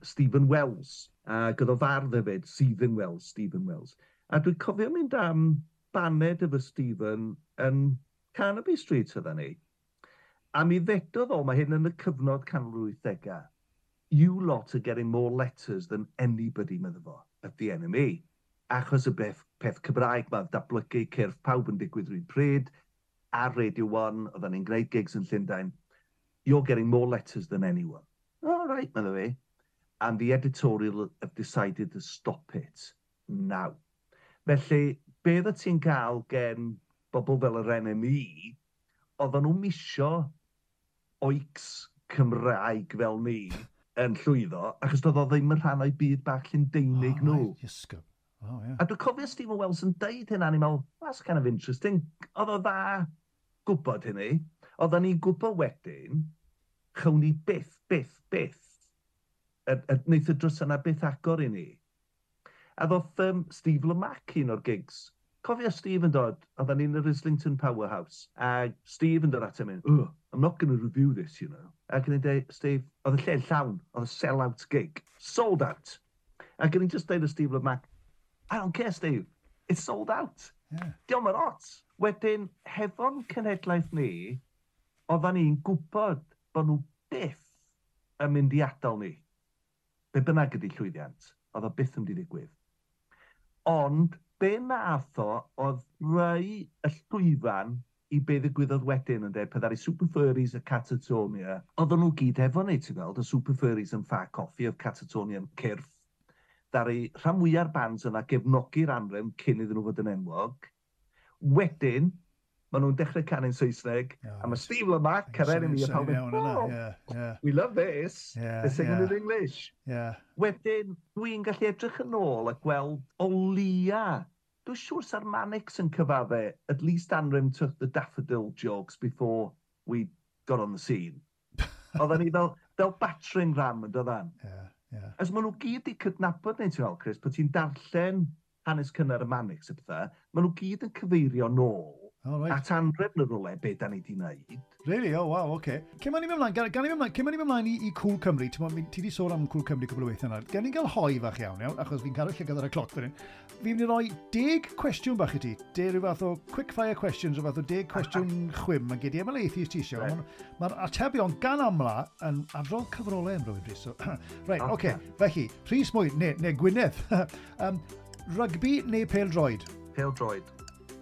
Stephen Wells, ac oedd o fardd hefyd, Stephen Wells, Stephen Wells. A dwi'n cofio mynd am baned efo Stephen yn Carnaby Street oedden ni. A mi ddedodd o, mae hyn yn y cyfnod canol 80au, "You lot are getting more letters than anybody," medde fo, "at the NME." Achos y beth, peth Cymraeg mae datblygu cyrff pawb yn digwydd rhywun pryd, ar Radio 1, oedden ni'n gwneud gigs yn Llundain, "You're getting more letters than anyone." "All right," medde fi. "And the editorial have decided to stop it now." Felly, be oedd ti'n cael gen bobl fel yr NME, oedden nhw'n misio oics Cymraeg fel ni yn llwyddo, achos doedd o ddim yn rhan o'i byd bach Llundeinig nhw. Right, iesgob. Oh, yeah. A dwi'n cofio Stephen Wells yn deud hynna, a ni'n meddwl, "That's kind of interesting." Oedd o dda gwybod hynny. Oedden ni'n gwybod wedyn, chawn ni byth, byth, byth, a wneith y drws yna byth agor i ni. A ddoth Steve Lamacq un o'r gigs. Cofio Steve yn dod, oedden ni'n yr Islington Powerhouse, a Steve yn dod at him, "Oh, I'm not going to review this." Ac yn dweud, "Steve," oedd y lle llawn, oedd y sell-out gig, sold out. Ac yn just deud i Steve Lamacq, "I don't care, Steve, it's sold out." Diolch yn ots. Wedyn, hefo'n cenhedlaeth ni, oedden ni'n gwybod bod nhw byth yn mynd i adael ni. Be bynnag ydy llwyddiant, oedd o byth yn mynd i ddigwydd. Ond, be nath o, oedd rhoi y llwyfan i be ddigwyddodd wedyn yn dweud, peth ar Super Furries a Catatonia, oedden nhw gyd efo ni, ti'n gweld, y Super Furries yn Ffa Coffi, oedd Catatonia yn cyrff. Ddaru rhan fwyaf bands yna gefnogi'r anrefn cyn iddyn nhw fod yn enwog. Wedyn, maen nhw'n dechrau canu'n Saesneg, a mae Steve Lamacq ar NME a pawb yn, "Oh, we love this, they're singing in English." Wedyn, dwi'n gallu edrych yn ôl a gweld o lia Dwi'n siŵr sa'r Manics yn cyfadde, at least Anrym took the daffodil jokes before we got on the scene. Oedden ni fel battering ram yn doddan. Yeah. As maen nhw gyd i cydnabod neu ti'n fel, Chris, pan ti'n darllen hanes cynnar y Manics a pethau, maen nhw gyd yn cyfeirio nôl at anrefn yr rwle be da ni di wneud. Really? Oh, wow, oce. Okay. Cyn ma'n i ymlaen, gan i ymlaen, cyn ma'n i ymlaen i Cool Cymru, ti di sôn am Cool Cymru cwbl o weithiau yna. Gan i gael hoi fach iawn, iawn, achos fi'n cadw llygad ar y cloc fan hyn. Fi'n mynd i roi 10 cwestiwn bach i ti. De rhyw fath o quick fire questions, rhyw fath o 10 cwestiwn chwim. Mae gyd i ymlaethu ti eisiau. Right. Mae'r atebion gan amla yn adrodd cyfrolau am rhywun, Rhys. So, right, oce. Okay. Felly, Rhys Mwyn, neu Gwynedd. Rygbi neu pêl-droed? Pêl-droed.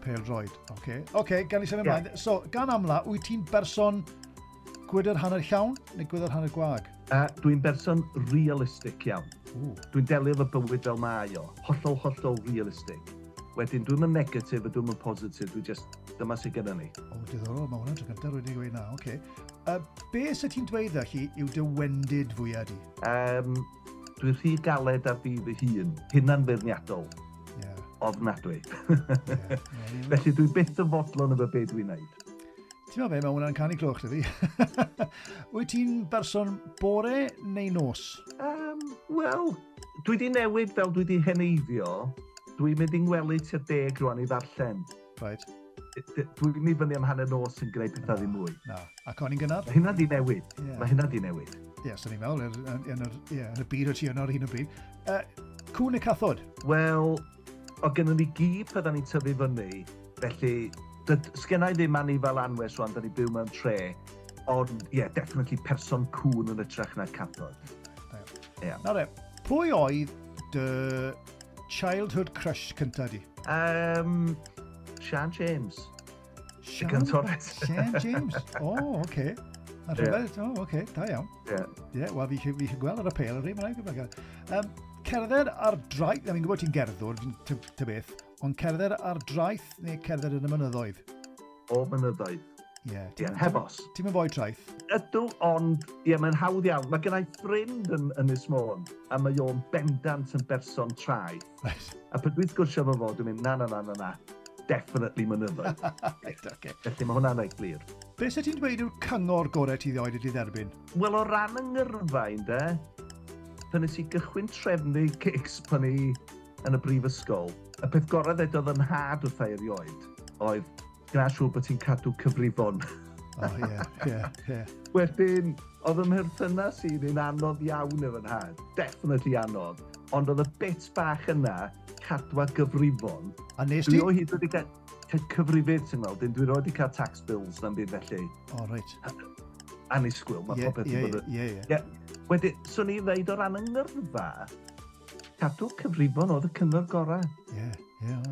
Pêl-droed, oce. Okay. Oce, okay, gan i symud ymlaen. Yeah. So, gan amla, wyt ti'n berson gwydr hanner llawn neu gwydr hanner gwag? Dwi'n berson realistic iawn. Dwi'n delio efo bywyd fel mae o. Hollol, hollol realistic. Wedyn, dwi'n mynd negatif a dwi'n mynd positif. Dwi'n just, dyma sydd gyda ni. O, diddorol, mae hwnna'n tro cyntaf rwy'n gweud na, oce. Okay. Be sydd ti'n dweud felly yw dy wendid fwyaf di? Dwi'n rhy galed ar fi fy hun. Hunan feirniadol. Ofnadwy. Felly dwi byth yn fodlon efo be dwi'n neud. Ti'n meddwl be, mae hwnna'n canu cloch, dydi? Wyt ti'n berson bore neu nos? Wel, dwi di newid fel dwi di heneiddio. Dwi'n mynd i'n ngwely tua 10 rwan i ddarllen. Right. Dwi'n mynd i fyny am hanner nos yn gwneud pethau ddim mwy. Na, ac o'n i'n gynnar? Mae hynna di newid. Yeah. Mae hynna di newid. Ie, yeah, so ni'n meddwl, yn y byd o ti yno ar hyn o bryd. Cŵn neu cathod? Wel, o gynnon ni gi pan ni'n tyfu fyny, felly sgenna i ddim anifal anwes rwan, da ni byw mewn tre, ond ie, yeah, definitely person cŵn yn ytrach na cathod. Yeah. Nawr e, pwy oedd dy childhood crush cynta di? Sian James. Sian James? O, oh, oce. Okay. A rhywbeth, o, oce, okay, da iawn. Ie, yeah, wel, fi eisiau gweld ar y pêl yr un, mae'n rhaid. Cerdded ar draeth, fi'n gwybod ti'n gerddwr, ty beth, ond cerdded ar draeth neu cerdded yn y mynyddoedd? O mynyddoedd. Ie. Yeah, heb os. Ti'n mynd fwy traeth? Ydw, ond ie, mae'n hawdd iawn. Mae gen i ffrind yn Ynys Môn, a mae o'n bendant yn berson traeth. Right. A pryd dwi'n sgwrsio efo fo, dwi'n mynd, na, na, na, na, na, definitely mynyddoedd. Right, okay. Felly mae hwnna'n reit glir. Be sydd ti'n dweud yw'r cyngor gorau ti ddioed wedi dderbyn? Wel, o ran yng ngyrfa, ynde, pan nes i gychwyn trefnu gigs pan i yn y brifysgol, y peth gorau ddedodd yn nhad wrtha i erioed oedd gwna siŵr bod ti'n cadw cyfrifon. O, ie. Wedyn, oedd ym mherthynas i'n un anodd iawn efo nhad. Definitely anodd. Ond oedd y bit bach yna, cadwa gyfrifon. A nes ti? Dwi o hyd wedi cael cyfrifydd, ti'n gweld, dwi wedi cael tax bills na'n byd felly. O, reit. Annisgwyl, mae popeth yn bod. Ie. Wedyn, swn i ddeud o ran yng ngyrfa, cadw cyfrifon oedd y cyngor gorau. Ie,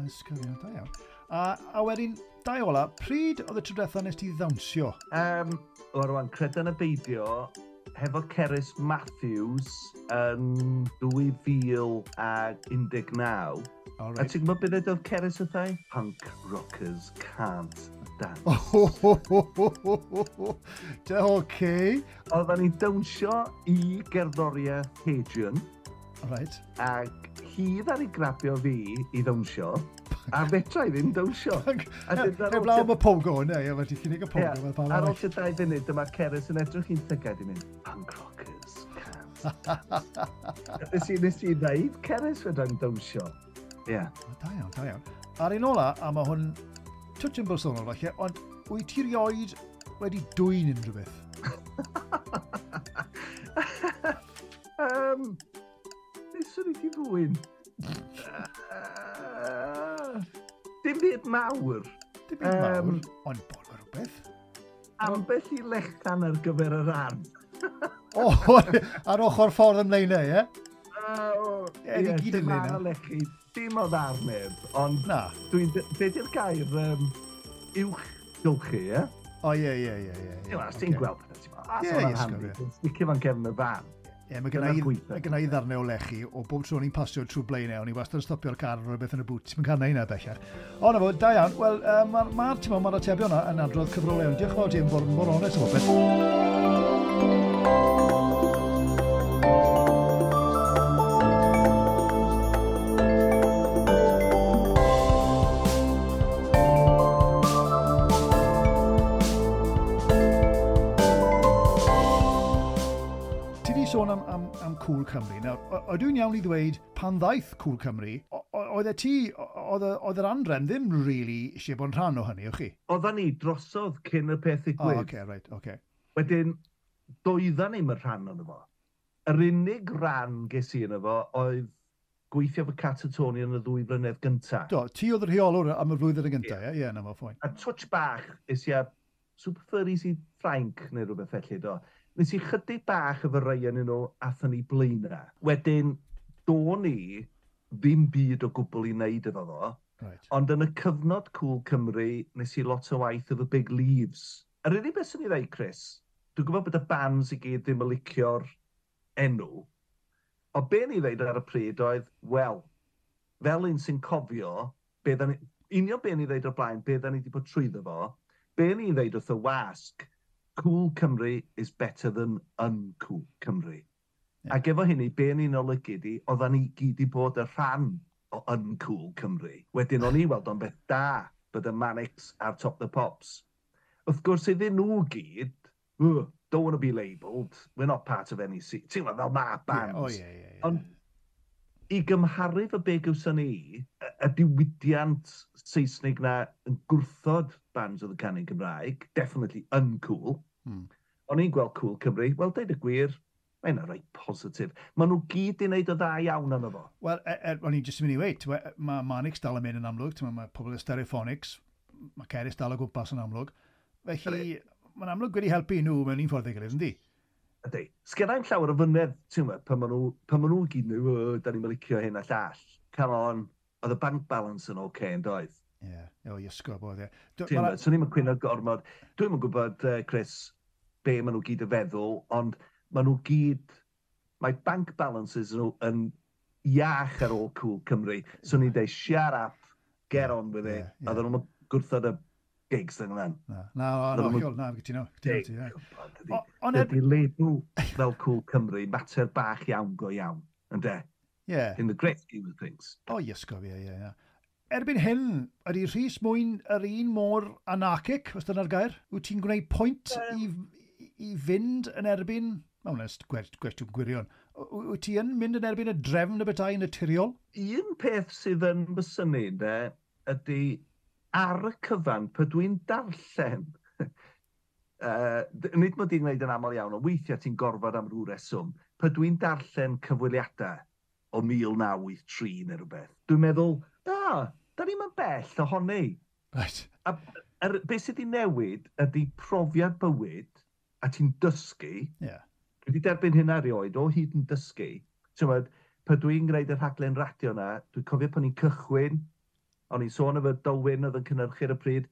ysgol, da iawn. A wedyn, dau ola, pryd oedd y tro diwetha nes ti ddawnsio? O rwan, credan y beidio, hefo Cerys Matthews yn 2019. Oh, right. A ti'n gwybod beth oedd Cerys wrtha i? Punk rockers can't dance. Okay. Oedden ni'n dawnsio i gerddoriaeth Hadrian. Right. Ac hi ddaru grabio fi i ddawnsio, a fedra i ddim dawnsio. Heblaw am y pogo, ne, ie, wedi cynnig y pogo. Ar ôl tua 2 funud, dyma Cerys yn edrych i'n llygad i mynd, punk rockers can't dance. Nes i ddeud, Cerys fedrai'm dawnsio. Ie. Da iawn, da iawn. A'r un ola, a mae hwn twtsh yn bersonol falle, ond wyt ti rioed wedi dwyn unrhyw beth? Beth swn i di ddwyn? Dim byd mawr. Dim byd mawr, ond bod o rhywbeth. Ambell i lechan ar gyfer yr ardd. O, ar ochr ffordd ym Mlaenau, ie? Ie, gyd yn dim Mlaenau. ar lechi, dim o ddarn neb, ond Na. Dwi'n, be di'r gair uwch gylchu, ie? O, ie. Ti'n gweld, ti'n gweld pethau, ti'n meddwl, Ie, hwnna'n ie, handi, sgwr, ti'n sticio fo'n cefn y fan. Ie, mae gynna i ddarnau o lechi o bob tro o'n i'n pasio trwy Blaenau, o'n i wastad yn stopio'r car ar rhywbeth yn y bŵt. Ti'n cael neud na bellach. O, na fo, da iawn. Wel, mae'r atebion yna yn adrodd cyfrol iawn. Diolch yn fawr ti am fod mor onest am bopeth. sôn am Cool Cymru. Nawr, ydw i'n iawn i ddweud, pan ddaeth Cool Cymru, oedd e ti, oedd yr anrefn ddim really eisiau bod yn rhan o hynny, o'ch chi? Oedden ni drosodd cyn y peth ddigwydd. Oh, okay, right, okay. Wedyn, doedden ni'm yn rhan ono fo. Yr unig ran ges i yno fo oedd gweithio fo Catatonia yn y 2 flynedd gyntaf. Do, ti oedd y rheolwr am y flwyddyn gyntaf, ie? Ie, na fo, fine. A touch bach, es i â Super Furries i Ffrainc neu rhywbeth felly, do. Nes i chydig bach efo rai yn nhw, athon ni blaenau. Wedyn, do'n i ddim byd o gwbl i wneud efo fo. Ond yn y cyfnod Cool Cymru, nes i lot o waith efo Big Leaves. Yr unig beth sy'n ei ddeud, Chris, dwi'n gwybod bod y bands i gyd ddim yn licio'r enw, ond be ni ddeud ar y pryd oedd, wel, fel un sy'n cofio, be ni, union be ni ddeud o'r blaen, be da ni wedi bod trwyddo fo, be ni'n ddeud wrth y wasg, "Cool Cymru is better than uncool Cymru." Ac efo hynny, be ni'n olygu di, oedden ni gyd i bod y rhan o uncool Cymru. Wedyn o'n i weld o'n beth da bod y Manics ar Top the Pops. Wrth gwrs iddyn nhw gyd, "Oh, don't want to be labelled, we're not part of any scene." Ti'n gwybod, fel ma bands. Yeah, oh, yeah. Ond i gymharu fy be gawson ni, y diwydiant Saesnig na yn gwrthod bands oedd yn canu Gymraeg, definitely uncool. O'n i'n gweld Cool Cymru, wel, deud y gwir, mae'n reit positif. Maen nhw gyd i wneud o dda iawn arno fo. Wel, o'n i'n jyst yn mynd i weud, mae Manics dal yn mynd yn amlwg, mae pobl y Stereophonics, mae Cerys dal o gwmpas yn amlwg. Felly, mae'n amlwg wedi helpu nhw mewn un ffordd ei gilydd, yndi? Ydy. Sgennai'm llawer o fynedd, ti'n gwybod, pan ma nhw gyd nhw, "O, da ni'n licio hyn a llall." Come on, oedd y bank balance yn oce, okay, yn doedd? Ie, yeah. O, iesgob oedd e. Ti'n gwybod, swn i'm yn cwyno gormod. Dwi'm yn gwybod, Chris, be maen nhw gyd yn feddwl, ond maen nhw gyd, mae bank balances nhw yn iach ar ôl Cool Cymru. So ni'n dweud, "Shut up, get on with it." Yeah. A ddyn nhw'n gwrthod y gigs yn yna. Na, na, na, na, na, cytuno, cytuno ti, ie. Ond ydy label fel Cool Cymru, mater bach iawn go iawn, ynde? Ie. In the great scheme of things. O, iesgob, ie. Erbyn hyn, ydy Rhys Mwyn yr un mor anarchic, os dyna'r gair? Wyt ti'n gwneud pwynt i fynd yn erbyn? Mae hwnna'n gwestiwn gwirion. Wyt ti yn mynd yn erbyn y drefn y bethau naturiol? Un peth sydd yn fy synnu, de, ydy ar y cyfan, pe dwi'n darllen, nid mod i'n gwneud yn aml iawn, ond weithiau ti'n gorfod am rhyw reswm, pe dwi'n darllen cyfweliadau o 1983 neu rhywbeth, dwi'n meddwl, da, da ni'n mynd bell ohoni. A beth sydd wedi newid ydy profiad bywyd, a ti'n dysgu. Dwi wedi derbyn hynna erioed, o hyd yn dysgu. Ti'n gwbod, pe dwi'n gwneud y rhaglen radio na, dwi'n cofio pan i'n cychwyn, o'n i'n sôn efo Dylwyn oedd yn cynhyrchu ar y pryd,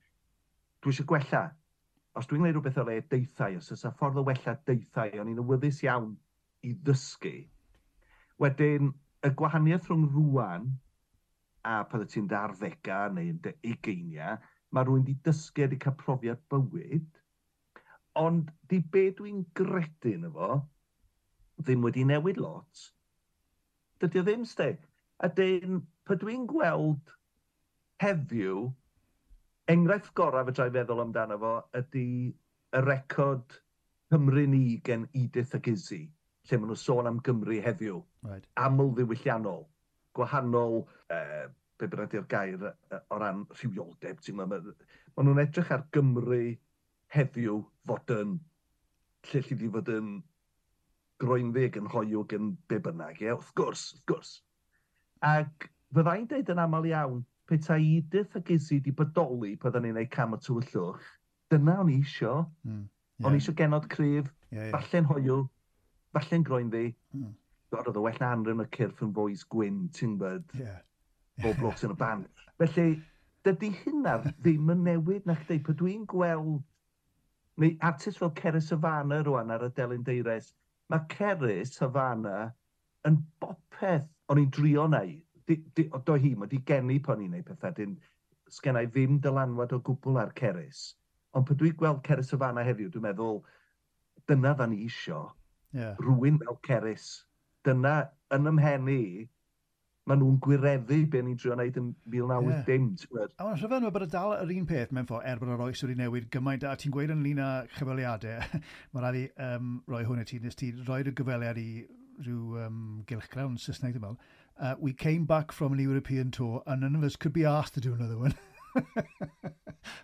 dwi eisiau gwella. Os dwi'n gwneud rhywbeth o le deithau, os oes 'na ffordd o wella deithau, o'n i'n awyddus iawn i ddysgu. Wedyn, y gwahaniaeth rhwng rwan a pan wyt ti'n dy arddegau neu yn dy ugeiniau, mae rhywun wedi dysgu a wedi cael profiad bywyd, ond di be dwi'n gredu yn efo, ddim wedi newid lot. Dydy o ddim, sti. A dyn, pa dwi'n gweld heddiw, enghraifft gorau fedra i feddwl amdano fo ydy y record Cymru Ni gen Edith ac Izzy, lle maen nhw'n sôn am Gymru heddiw. Aml ddiwylliannol, gwahanol, be bynnag ydy'r gair o ran rhywioldeb, ti'n gwbod, ma nhw'n edrych ar Gymru heddiw fod yn, lle lle di fod yn groenddu yn hoyw yn be bynnag, ie, wrth gwrs, wrth gwrs. Ac fyddai'n deud yn aml iawn, petai Edith ac Izzy di bodoli pan ni'n neud Cam y Tywyllwch, dyna o'n i isio. O'n i isio genod cryf, Ie, ie. falle'n hoyw, falle'n groenddu. God, oedd o well na Anrefn y Cyrff yn fois gwyn, ti'n gwbod, bob blokes yn y band. Felly, dydy hynna ddim yn newid na chdi. Pan dwi'n gweld, neu artist fel Cerys Hafana rwan ar y Delyn Deires, mae Cerys Hafana yn bopeth o'n i'n drio neu. Do hi, mae di geni pan i'n neud pethau, dyn, sgenna i ddim dylanwad o gwbl ar Cerys. Ond pan dwi'n gweld Cerys Hafana heddiw, dwi'n meddwl, dyna dda ni isio. Rhywun fel Cerys. Dyna, yn ymhen i, Maen nhw'n gwireddu be ni'n trio wneud yn 1980. Yeah. A mae'n rhyfedd bod y dal yr un peth mewn ffordd, er bod yr oes wedi newid gymaint, a ti'n gweud ynglyn â chyfweliadau, mae rhaid i roi hwn i ti, nes ti roi'r gyfweliad i rhyw gylchgrawn Saesneg, dwi'n meddwl. "We came back from an European tour and none of us could be asked to do another one."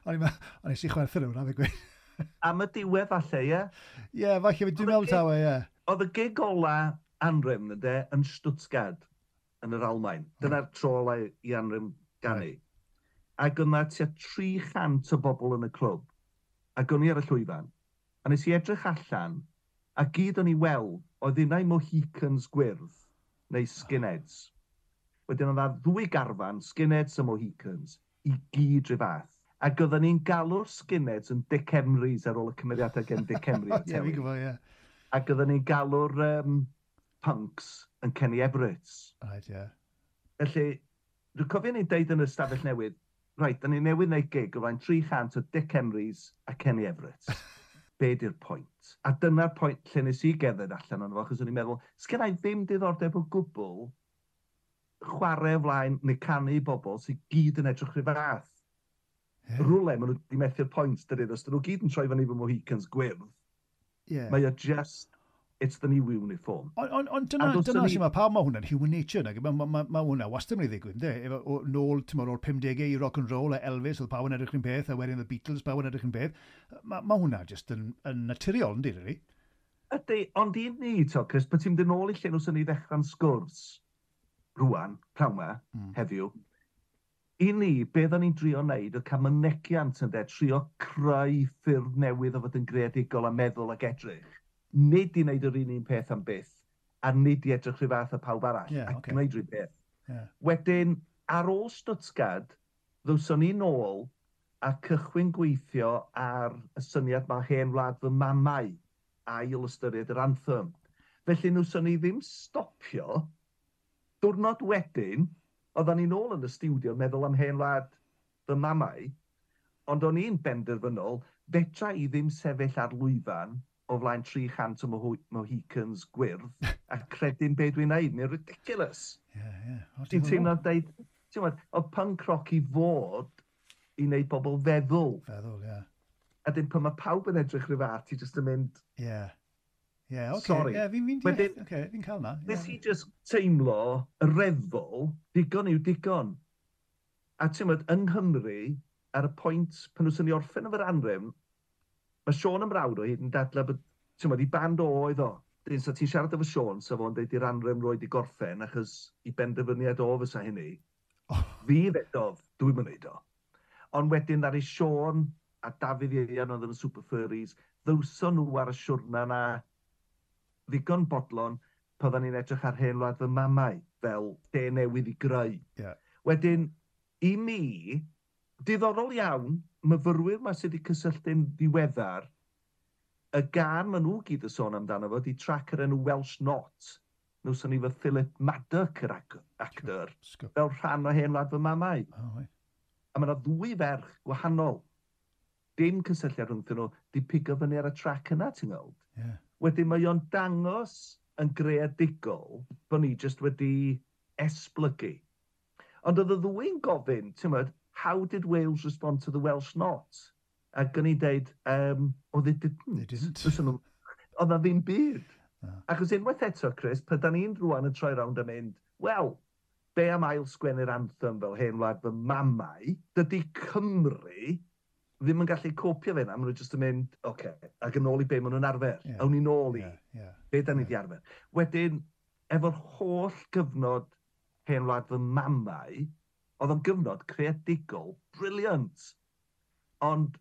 O'n i si chwerthin hwnna, fe gweud. Am y diwedd falle, ie? Ie, yeah, falle, dwi'n meddwl tawe, ie. Oedd y gig ola Anrefn, ynddo, yn Stuttgart, yn yr Almain. Dyna'r tro ola i Anrefn ganu. Ac yna tua 300 o bobl yn y clwb. Ac o'n i ar y llwyfan. A nes i edrych allan, a gyd o'n i weld, oedd unai Mohicans gwyrdd, neu skinheads. Wedyn oedd 'na ddwy garfan, skinheads a Mohicans, i gyd rhyw fath. Ac oedden ni'n galw'r skinheads yn Dick Emrys ar ôl y cymeriadau gen Dick Emry. Ie, fi'n gwybod, ie. Ac oedden ni'n galw'r punks yn Kenny Everetts. Right, ie. Yeah. Felly, dwi'n cofio ni'n deud yn y stafell newydd, "Reit, da ni newydd wneud gig o flaen 300 o Dick Emrys a Kenny Everett. Be di'r pwynt?" A dyna'r pwynt lle nes i gerdded allan ono fo, achos o'n i'n meddwl, sgen i ddim diddordeb o gwbl chwarae o flaen neu canu i bobl sydd gyd yn edrych rhyw fath. Rwle, maen nhw wedi methu'r pwynt, dydyn, os dyn nhw gyd yn troi fyny fo Mohicans gwyrdd, mae o just, it's the new uniform. Ond on, on dyna sy'n mae pawb, mae hwnna'n human nature, nag? Mae hwnna wastad yn mynd i ddigwydd, yndê? Efo, nôl, ti'n o'r 50au i rock and roll, a Elvis, oedd pawb yn edrych yn peth, a wedyn the Beatles, pawb yn edrych yn peth. Mae hwnna just yn naturiol, yndi, really? Ydy, ond i ni, to, Chris, bod ti'n mynd yn ôl i lle nhw sy'n ni ddechrau'n sgwrs rwan, prawn ma, heddiw, i ni, be oedden ni'n drio wneud oedd cael mynegiant yn de, trio creu ffyrdd newydd o fod yn greadigol a meddwl ac edrych. Nid i wneud yr un un peth am byth, a nid i edrych rhyw fath o pawb arall, a gwneud rhyw beth. Wedyn, ar ôl Stuttgart, ddwson ni nôl a cychwyn gweithio ar y syniad mae Hen Wlad Fy Mamau, ail ystyried yr anthem. Felly nwson ni ddim stopio. Diwrnod wedyn, oedden ni nôl yn y stiwdio yn meddwl am Hen Wlad Fy Mamau, ond o'n i'n benderfynol, fedra i ddim sefyll ar lwyfan o flaen 300 o Mohicans gwyrdd a credu'n be dwi'n neud. Mae'n ridiculous. Ie, ie. O, Ti'n diddorol. teimlo deud, ti'n gwbod, oedd punk rock i fod i wneud bobl feddwl. Feddwl, ie. A dyn pan mae pawb yn edrych rhyw fath, ti jyst yn mynd, Ie, oce. "Sorry." Ie, fi'n deall. Wedyn, Oce, fi'n cael na. nes i just teimlo y refol, digon yw digon. A ti'n gwbod, yng Nghymru, ar y pwynt pan nhw'n ni orffen efo'r Anrefn, mae Siôn yn mrawd o hyd yn dadlau bod, ti'n gwbod, i band o oedd o. Dyn, so ti'n siarad efo Siôn, so fo'n deud i'r Anrefn roed i gorffen, achos i benderfyniad o fysa hynny. Fi ddedodd, dwi'n mynd neud o. Ond wedyn ddaru Siôn a Dafydd Ieuan oedd yn y Super Furries, ddywson nhw ar y siwrna na ddigon bodlon pan oedden ni'n edrych ar Hen Wlad Fy Mamau fel lle newydd i greu. Wedyn, i mi, diddorol iawn, myfyrwyr ma sydd wedi cysylltu'n ddiweddar, y gân maen nhw gyd yn sôn amdano fo, di trac yr enw Welsh Not. Nwson ni fo Philip Madoc, yr actor, Sgwp. fel rhan o Hen Wlad Fy Mamau. Oh, right. A mae yna ddwy ferch gwahanol. Dim cysylltiad rhwngthyn nhw, di pigo fyny ar y trac yna, ti'n gweld? Wedyn mae o'n dangos yn greadigol bod ni jyst wedi esblygu. Ond oedd y ddwy'n gofyn, ti'n gwbod, "How did Wales respond to the Welsh Not?" Ac o'n i'n deud, "Oh, they didn't." They didn't. Fysa oedd na ddim byd. Na. Achos unwaith eto, Chris, pan da ni'n rwan yn troi rownd a mynd, "Wel, be am ail sgwennu'r anthem fel Hen Wlad Fy Mamau?" Dydy Cymru ddim yn gallu copio fe na, maen nhw jyst yn mynd, "Oce, okay, ac yn ôl i be maen nhw'n arfer." Awn ni nôl i be da ni di arfer. Wedyn, efo'r holl gyfnod Hen Wlad Fy Mamau, oedd o'n gyfnod creadigol brilliant. Ond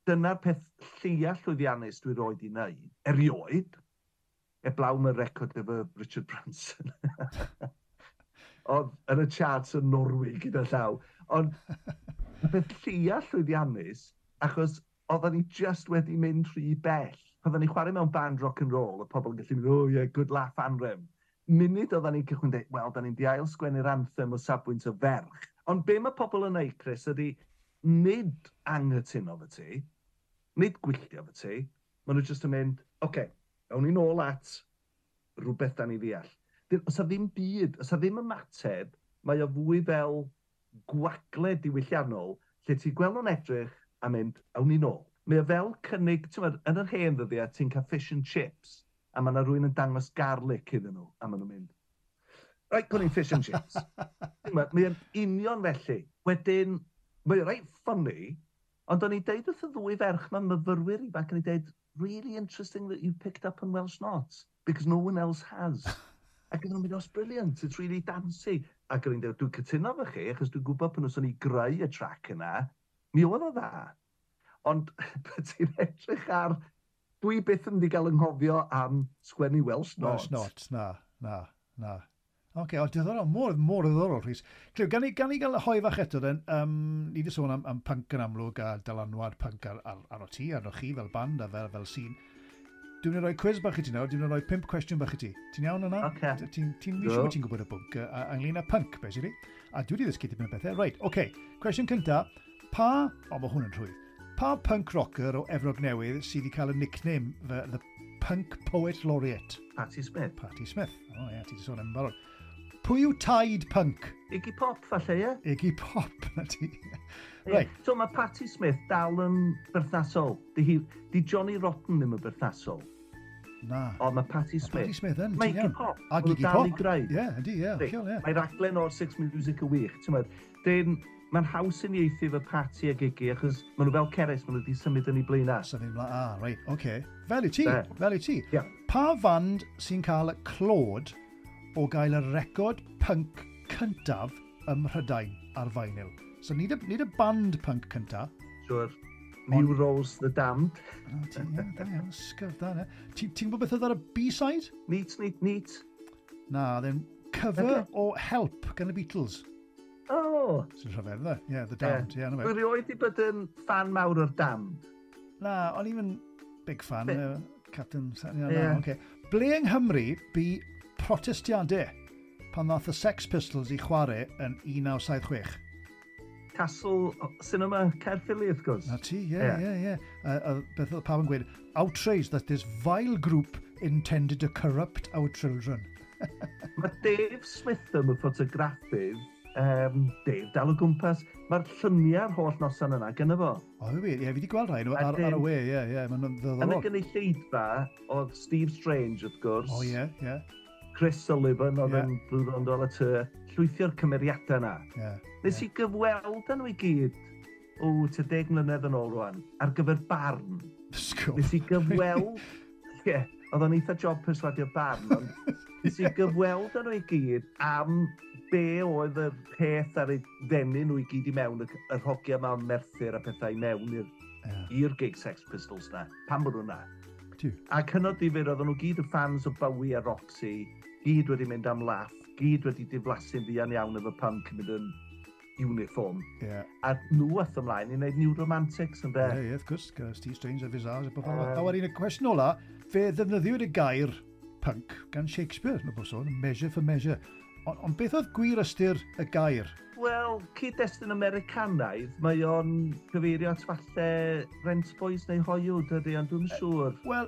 dyna'r peth lleia llwyddiannus dwi roed i wneud, erioed, eblaw y record efo Richard Branson. Oedd yn y charts yn Norwy gyda llaw. Ond y peth lleia llwyddiannus, achos oedden ni just wedi mynd rhy bell. Pan oedden ni chwarae mewn band rock and roll, y pobl yn gallu mynd, "Oh yeah, good laugh, Anrefn." Munud oedden ni'n cychwyn dweud, "Wel, da ni'n di ail sgwennu'r anthem o safbwynt o ferch." Ond be mae pobl yn neud, Chris, ydy nid anghytuno fo ti, nid gwylltio fo ti, maen nhw jyst yn mynd, "Oce, okay, awn ni nôl at rhywbeth da ni ddeall." Os a ddim byd, os a ddim ymateb, mae o fwy fel gwagle diwylliannol, lle ti'n gweld nhw'n edrych a mynd, "Awn ni nôl." Mae o fel cynnig, ti'n meddwl, yn yr hen ddyddiau, ti'n cael fish and chips, a mae yna rhywun yn dangos garlic iddyn nhw, a maen nhw'n mynd, "Right, gwni fish and chips." Mae o'n union felly. Wedyn, mae o'n reit funny, ond o'n i'n deud wrth y ddwy ferch ma'n myfyrwyr ifanc, o'n i'n deud, "Really interesting that you picked up on Welsh Not, because no one else has." Ac oedden nhw'n mynd, "Oh, it's brilliant, it's really dancey." Ac o'n i'n dweud, "Dwi'n cytuno efo chi, achos dwi'n gwybod pan o'n i greu y track yna, mi oedd o dda." Ond ti'n edrych ar... Dwi byth yn mynd i gael anghofio am sgwennu Welsh Not. Welsh Not, na. Oce, okay, o, diddorol, mor ddiddorol, Rhys. Clyw, gan i gael hoe fach eto, den, ni wedi sôn am punk yn amlwg a dylanwad punk ar o ti, arno chi fel band a fel scene. Dwi'n mynd i roi quiz bach i ti nawr, dwi'n mynd i roi pump cwestiwn bach i ti. Ti'n iawn yna? Oce. Ti'n siŵr bod ti'n gwybod y bwnc ynglyn â punk, basically. A dwi wedi ddysgu tipyn o bethau. Right, oce. Okay. Cwestiwn cynta. Pa, o, mae hwn yn rhwydd. Pa punk rocker o Efrog Newydd sydd wedi cael y nickname The Punk Poet Laureate? Patti Smith. Patti Smith. O ie, ti wedi sôn am barod. Pwy yw taid punk? Iggy Pop, falle, ie? Iggy Pop, na ti. Right. So mae Patti Smith dal yn berthnasol. Di Johnny Rotten ddim yn berthnasol. Na. Ond mae Patti Smith. Patti Smith yn, Mae Iggy Pop. A Iggy Pop. Dal i. Ie, ydy, ie. Ie. Mae raglen o'r Six Music y wych. Ti'n meddwl, dyn, mae'n haws yn ieithu efo Patti ag Iggy, achos maen nhw fel Ceres, maen nhw wedi symud yn ei blaenau. Symud ymlaen, ah, reit, oce. Okay. Fel i ti, fel i ti. Yeah. Pa fand sy'n cael y clod o gael y record punk cyntaf ym Mhrydain ar vinyl? So nid y band punk cyntaf. Sure. New Rose the Damned. Oh, ti, ie, da iawn, sgyf, da, ne. Ti'n gwybod beth oedd ar y B-side? Neat, neat, neat. Na, then cover o Help gan y Beatles. Oh. Sy'n rhyfedd, dde? Yeah, The Damned. Yeah, yeah. Dwi rioed wedi bod yn fan mawr o'r Damned. Na, o'n i'n big fan. Captain... Yeah, yeah. Na, okay. Ble yng Nghymru bu protestiadau pan ddath y Sex Pistols i chwarae yn 1976? Castle Cinema Caerphilly, wrth gwrs. Na ti, ie, ie, ie. Beth oedd pawb yn gweud, "Outrage that this vile group intended to corrupt our children." Mae Dave Smith yn y ffotograffydd, Dave dal o gwmpas, mae'r lluniau'r holl noson yna gyda fo. O, wir, ie, fi wedi gweld rhai nhw ar y we, ie, mae'n ddiddorol. Yn y gynulleidfa, oedd Steve Strange, wrth gwrs. O, ie, ie. Chris Sullivan oedd yn Blue Rondo y Tŷ, llwythio'r cymeriadau yna. Nes i gyfweld â nhw i gyd, o, tua 10 mlynedd yn ôl rwan, ar gyfer Barn. Sgwp. Nes i gyfweld, ie, oedd o'n eitha job perswadio Barn, ond nes i gyfweld â nhw i gyd am be oedd y peth ar ei ddenu nhw i gyd i mewn, yr hogia yma o Merthyr a pethau i mewn i'r i'r gig Sex Pistols na, pam bod nhw na. Ac hynod difyr, oedden nhw gyd yn fans o Bowie a Roxy, gyd wedi mynd am laff, gyd wedi diflasu'n fuan iawn efo punk yn mynd yn uniform. A nhw ath ymlaen i wneud New Romantics yn de. Ie, yeah, wrth gwrs, gyda Steve Strange a Visage a bobl. A wedyn y cwestiwn ola, fe ddefnyddiwyd y gair punk gan Shakespeare, no bod sôn, Measure for Measure. Ond beth oedd gwir ystyr y gair? Wel, cyd-destun Americanaidd, mae o'n cyfeirio at falle rent boys neu hoiw, dydy, ond dwi'n siŵr. Wel,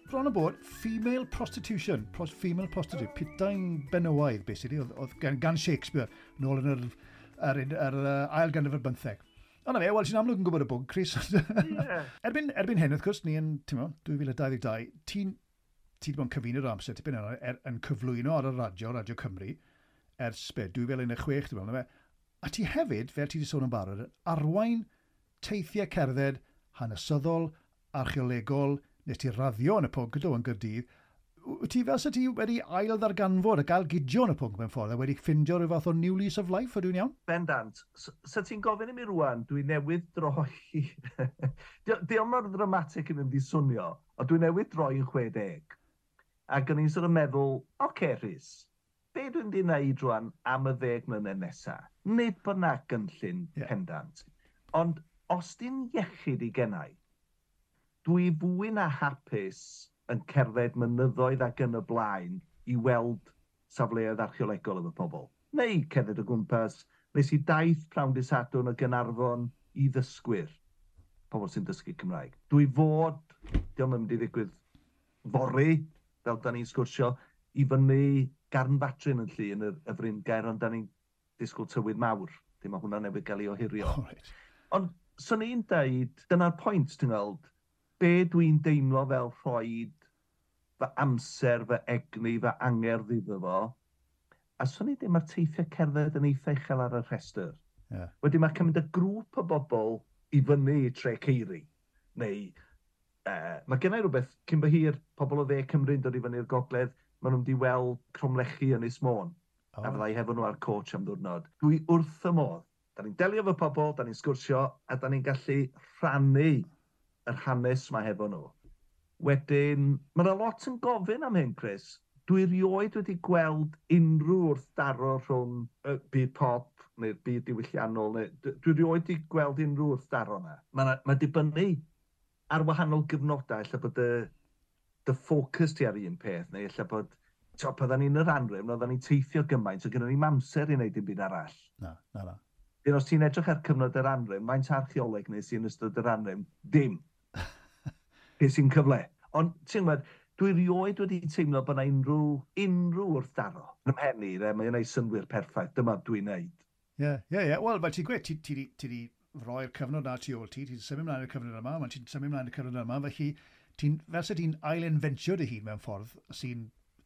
bron o bod, female prostitution, female prostitute, putain benywaidd, basically, oedd gan Shakespeare, nôl yn yr ail ganrif ar bymtheg. Ond na fe, wel, ti'n amlwg yn gwybod y bwnc, Chris. Yeah. Erbyn hyn, wrth gwrs, ni yn, ti'n meddwl, 2022, ti wedi bod yn cyfuno'r amser tipyn yna, yn cyflwyno ar y radio, Radio Cymru, ers be, 2016, dwi'n meddwl, na fe. A ti hefyd, fel ti wedi sôn yn barod, yn arwain teithiau cerdded hanesyddol, archeolegol, nes ti raddio yn y pwnc ydw yn Gaerdydd. Wyt ti fel sa ti wedi ail ddarganfod a gael gidio yn y pwnc mewn ffordd a wedi ffindio rhyw fath o new lease of life, ydw i'n iawn? Bendant. Sa ti'n gofyn i mi rwan, dwi newydd droi... Di mor ddramatic yn mynd i swnio, ond dwi newydd droi yn 60. Ac o'n i'n sort of meddwl, oce okay, Rhys, be dwi'n di wneud rwan am y 10 mlynedd nesaf? Nid bod na gynllun pendant. Ond os di'n iechyd i gennau, dwi fwy na hapus yn cerdded mynyddoedd ac yn y blaen i weld safleoedd archeolegol efo pobl. Neu cerdded o gwmpas. Nes i daith prawn dy Sadwrn o Gaernarfon i ddysgwyr, pobl sy'n dysgu Cymraeg. Dwi fod, diolch yn mynd i ddigwydd fory, fel da ni'n sgwrsio, i fyny Garn Fatrin yn llu yn y Fryngaer, ond da ni'n disgwyl tywydd mawr. Dim mae hwnna newydd gael ei ohirio. Oh, right. Ond swn i'n deud, dyna'r pwynt, ti'n gweld, be dwi'n deimlo fel rhoi fy amser, fy egni, fy angerdd iddo fo, a swn i'n deud mae'r teithiau cerdded yn eitha uchel ar y rhestr. Wedyn mae cymryd y grŵp o bobl i fyny i Tre Ceiri, neu mae gennau rhywbeth, cyn bo hir, pobl o dde Cymru'n dod i fyny'r gogledd, maen nhw'n mynd i weld cromlechi yn Ynys Môn, a fyddai hefo nhw ar coach am ddwrnod. Dwi wrth y modd. Da ni'n delio efo pobl, da ni'n sgwrsio, a da ni'n gallu rhannu yr hanes ma hefo nhw. Wedyn, mae yna lot yn gofyn am hyn, Chris. Dwi rioed wedi gweld unrhyw wrthdaro rhwng y byd pop neu'r byd diwylliannol. Neu, dwi rioed wedi gweld unrhyw wrthdaro yna. Mae dibynnu ar wahanol gyfnodau, ella bod dy ffocws ti ar un peth, neu ella bod, to, pan ni'n yr anrefn, oedden ni'n teithio gymaint, so gynnon ni'm amser i wneud dim byd arall. Na, na, na. Dyn os ti'n edrych ar cyfnod yr anrefn, faint archeoleg nes i yn ystod yr anrefn? Dim. Beth sy'n cyfle. Ond, ti'n gwybod, dwi rioed wedi teimlo bod yna unrhyw wrthdaro. Yn ymhen i, mae'n gwneud synnwyr perffaith. Dyma dwi'n neud. Ie. Wel, fel ti'n gweud, ti di roi'r cyfnod na tu ôl ti, ti'n symud ymlaen i'r cyfnod yma, mae'n ti'n symud ymlaen i'r cyfnod yma, felly ti'n, fel se ti'n ail-inventio dy hun mewn ffordd sy'n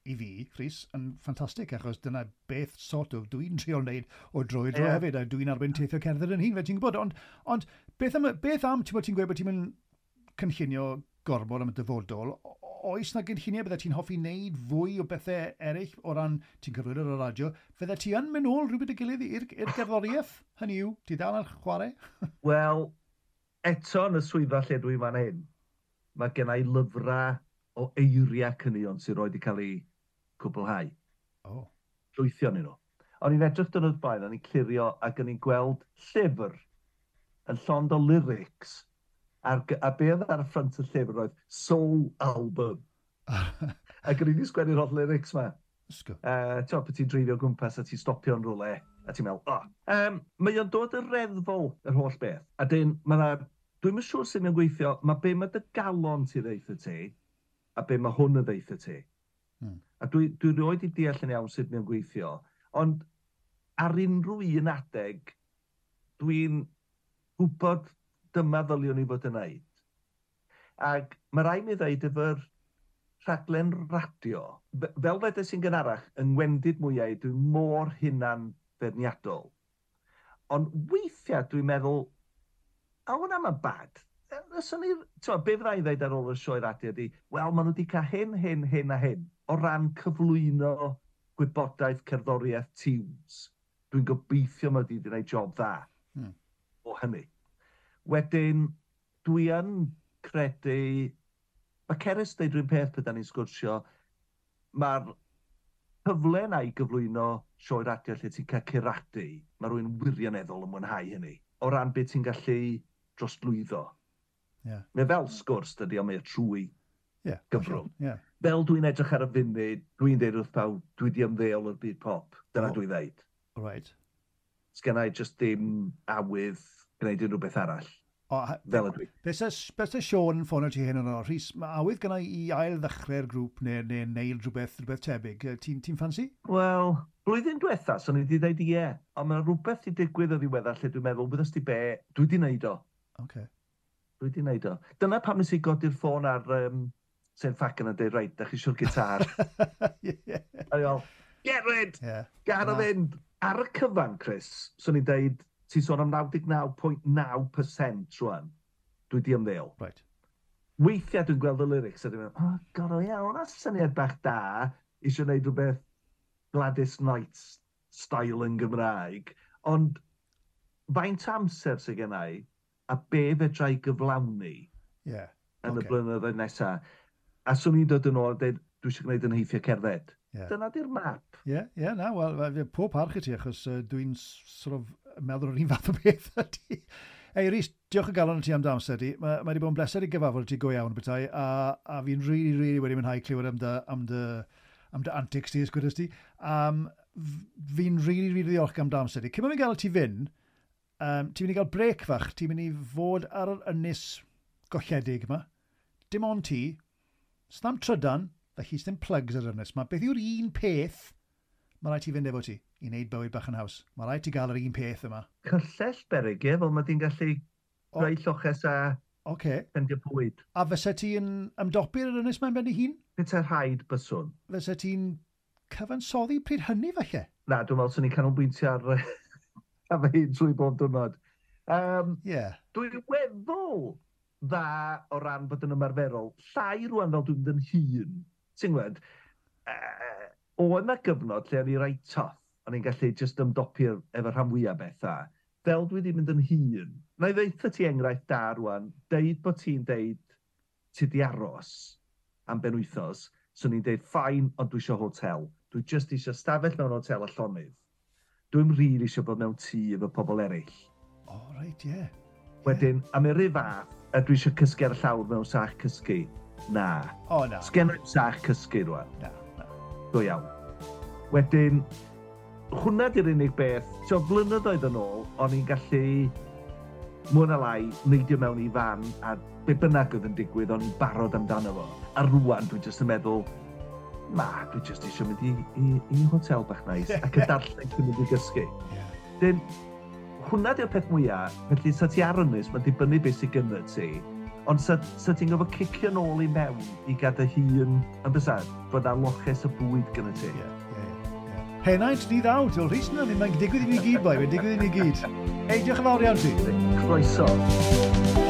i fi, Rhys, yn ffantastig, achos dyna beth sort of dwi'n trio wneud o dro i dro hefyd, a dwi'n arbenn teithio cerdded yn hun, fel ti'n gwybod. Ond beth am ti'n bod ti'n gweud bod ti'n mynd cynllunio gormod am y dyfodol, oes na gynlluniau bydde ti'n hoffi wneud fwy o bethau eraill o ran ti'n cyflwyno ar y radio, fydde ti yn mynd nôl rhywbeth y gilydd i'r gerddoriaeth? Hynny yw, ti dal yn chwarae? Wel, eto yn y swyddfa lle dwi fan hyn, mae gen i lyfrau o eiriau caneuon sy'n rhoi wedi cael eu cwblhau. Llwythio ni nhw. O'n i'n edrych dwrnod blaen, o'n i'n clirio ac o'n i'n gweld llyfr yn llond o lyrics a be oedd ar y ffrynt y llyfr oedd Soul Album. Ac o'n i wedi sgwennu'r holl lyrics ma. Ysgo. Ti'n pan ti'n dreifio o gwmpas a ti'n stopio yn rhywle, a ti'n meddwl, oh. Mae o'n dod yn reddfol, yr holl beth. A dyn, mae dwi'n siŵr sut mae'n gweithio, mae be mae dy galon ti ddeutha ti, a be mae hwn yn ddeutha ti. A dwi rioed i deall yn iawn sut mae'n gweithio, ond ar unrhyw un adeg, dwi'n gwybod dyma ddyliwn i fod yn neud. Ac mae rhaid mi ddeud efo'r rhaglen radio, fel ddedes i'n gynharach, yng ngwendid mwyau, dwi'n mor hunan feirniadol. Ond weithiau dwi'n meddwl, a hwnna mae'n bad. Fyswn i, ti'n be fydda i ddeud ar ôl y sioe radio ydi, wel, maen nhw wedi cael hyn, hyn, hyn a hyn, o ran cyflwyno gwybodaeth cerddoriaeth tunes. Dwi'n gobeithio mod i wedi gwneud job dda o hynny. Wedyn, dwi yn credu, mae Cerys deud rhywun peth pryd da ni'n sgwrsio, mae'r cyfle yna i gyflwyno sioe radio lle ti'n cael curadu, mae rhywun wirioneddol yn mwynhau hynny. O ran beth ti'n gallu drosglwyddo. Mae fel sgwrs, dydy, ond mae o trwy gyfrwng. Fel dwi'n edrych ar y funud, dwi'n deud wrth pawb, dwi di ymddeol o'r byd pop. Dyna dwi'n ddeud. Sgen i just dim awydd gwneud unrhyw beth arall. O, Fel ydw i. Beth se Sean yn ffonio ti hyn yn o, Rhys, mae awydd gyda i ail ddechrau'r grŵp neu neud rhywbeth tebyg. Ti'n ti ffansi? Wel, blwyddyn diwetha, so ni wedi dweud ie. Ond mae rhywbeth i digwydd o ddiweddar lle dwi'n meddwl, wyddost ti be, dwi wedi wneud o. Dwi wedi wneud o. Dyna pam nes i godi'r ffôn ar Sain Ffagan a dweud, reit, da chi eisiau'r gitar. A ni fel, get rid! Gad o fynd! Ar y cyfan, Chris, so ni'n deud, ti'n sôn am 99.9% rwan, dwi di ymddeol. Weithiau dwi'n gweld y lyrics a dwi'n meddwl, oh, god, o ie, hwnna syniad bach da, eisiau gwneud rhywbeth Gladys Knight style yn Gymraeg, ond faint amser sydd gen i, a be fedra i gyflawni yn y blynyddoedd nesaf. A swn i'n dod yn ôl a dweud, dwi eisiau gwneud yn nheithiau cerdded. Dyna di'r map. Ie, yeah, na, wel, pob parch i ti, achos dwi'n sort of meddwl yr un fath o beth ydi. Ei, Rhys, diolch o galon i ti am dy amser di. Mae wedi bod yn bleser i gyfarfod ti go iawn bethau, a fi'n really, really wedi mwynhau clywed am dy antics ti, ysgwyddes ti. Fi'n really, really ddiolch am dy amser di. Cyn bod fi'n gael ti fynd, ti'n mynd i gael break fach, ti'n mynd i fod ar yr ynys golledig yma. Dim ond ti, snam trydan, Felly, ddim plugs ar ynys. Mae beth yw'r un peth mae rhaid ti fynd efo ti i wneud bywyd bach yn haws? Mae rhaid ti gael yr un peth yma. Cyllell beryg, ie, fel mae di'n gallu rhoi lloches a fendio bwyd. A fysa ti'n ymdopi ar yr ynys mae'n ben ei hun? Petai rhaid byswn. Fysa ti'n cyfansoddi pryd hynny falle? Na, dwi'n meddwl swn i'n canolbwyntio ar ar fy hun trwy bob diwrnod. Dwi'n weddol dda o ran bod yn ymarferol. Llai rwan fel dwi'n mynd yn hun. Ti'n gwybod, oedd yna gyfnod lle o'n i reit tough. O'n i'n gallu just ymdopi efo rhan fwyaf bethau. Fel dwi wedi mynd yn hun. Na i ddeutha ti enghraifft da rwan, deud bod ti'n deud ti di aros am benwythnos, swn i'n deud fine, ond dwi eisiau hotel. Dwi just eisiau stafell mewn hotel a llonydd. Dwi'm rili eisiau bod mewn tŷ efo pobl eraill. O, oh, reit, ie. Yeah. Wedyn, am yr un fath, a dwi eisiau cysgu ar y llawr mewn sach cysgu. Na. O, na. Sgen i'm sach cysgu rwan. Na, na. Go iawn. Wedyn, hwnna di'r unig beth. So, blynyddoedd yn ôl, o'n i'n gallu mwy na lai neidio mewn i fan a be bynnag oedd yn digwydd, o'n i'n barod amdano fo. A rwan, dwi jyst yn meddwl, ma, dwi jyst eisiau mynd i hotel bach nice ac y darllen cyn mynd i gysgu. Dyn, hwnna di'r peth mwyaf, felly sa ti ar ynys, mae'n dibynnu beth sydd gynnu ti, ond sa ti'n gofio cicio nôl i mewn i gadael hun, yn bysa, bod na loches o bwyd gynnu ti. Henaint ni ddaw, ti'n Rhys, na, mae'n digwydd i ni gyd, boi, mae'n digwydd i ni gyd. Ei, diolch yn fawr iawn ti. Croeso.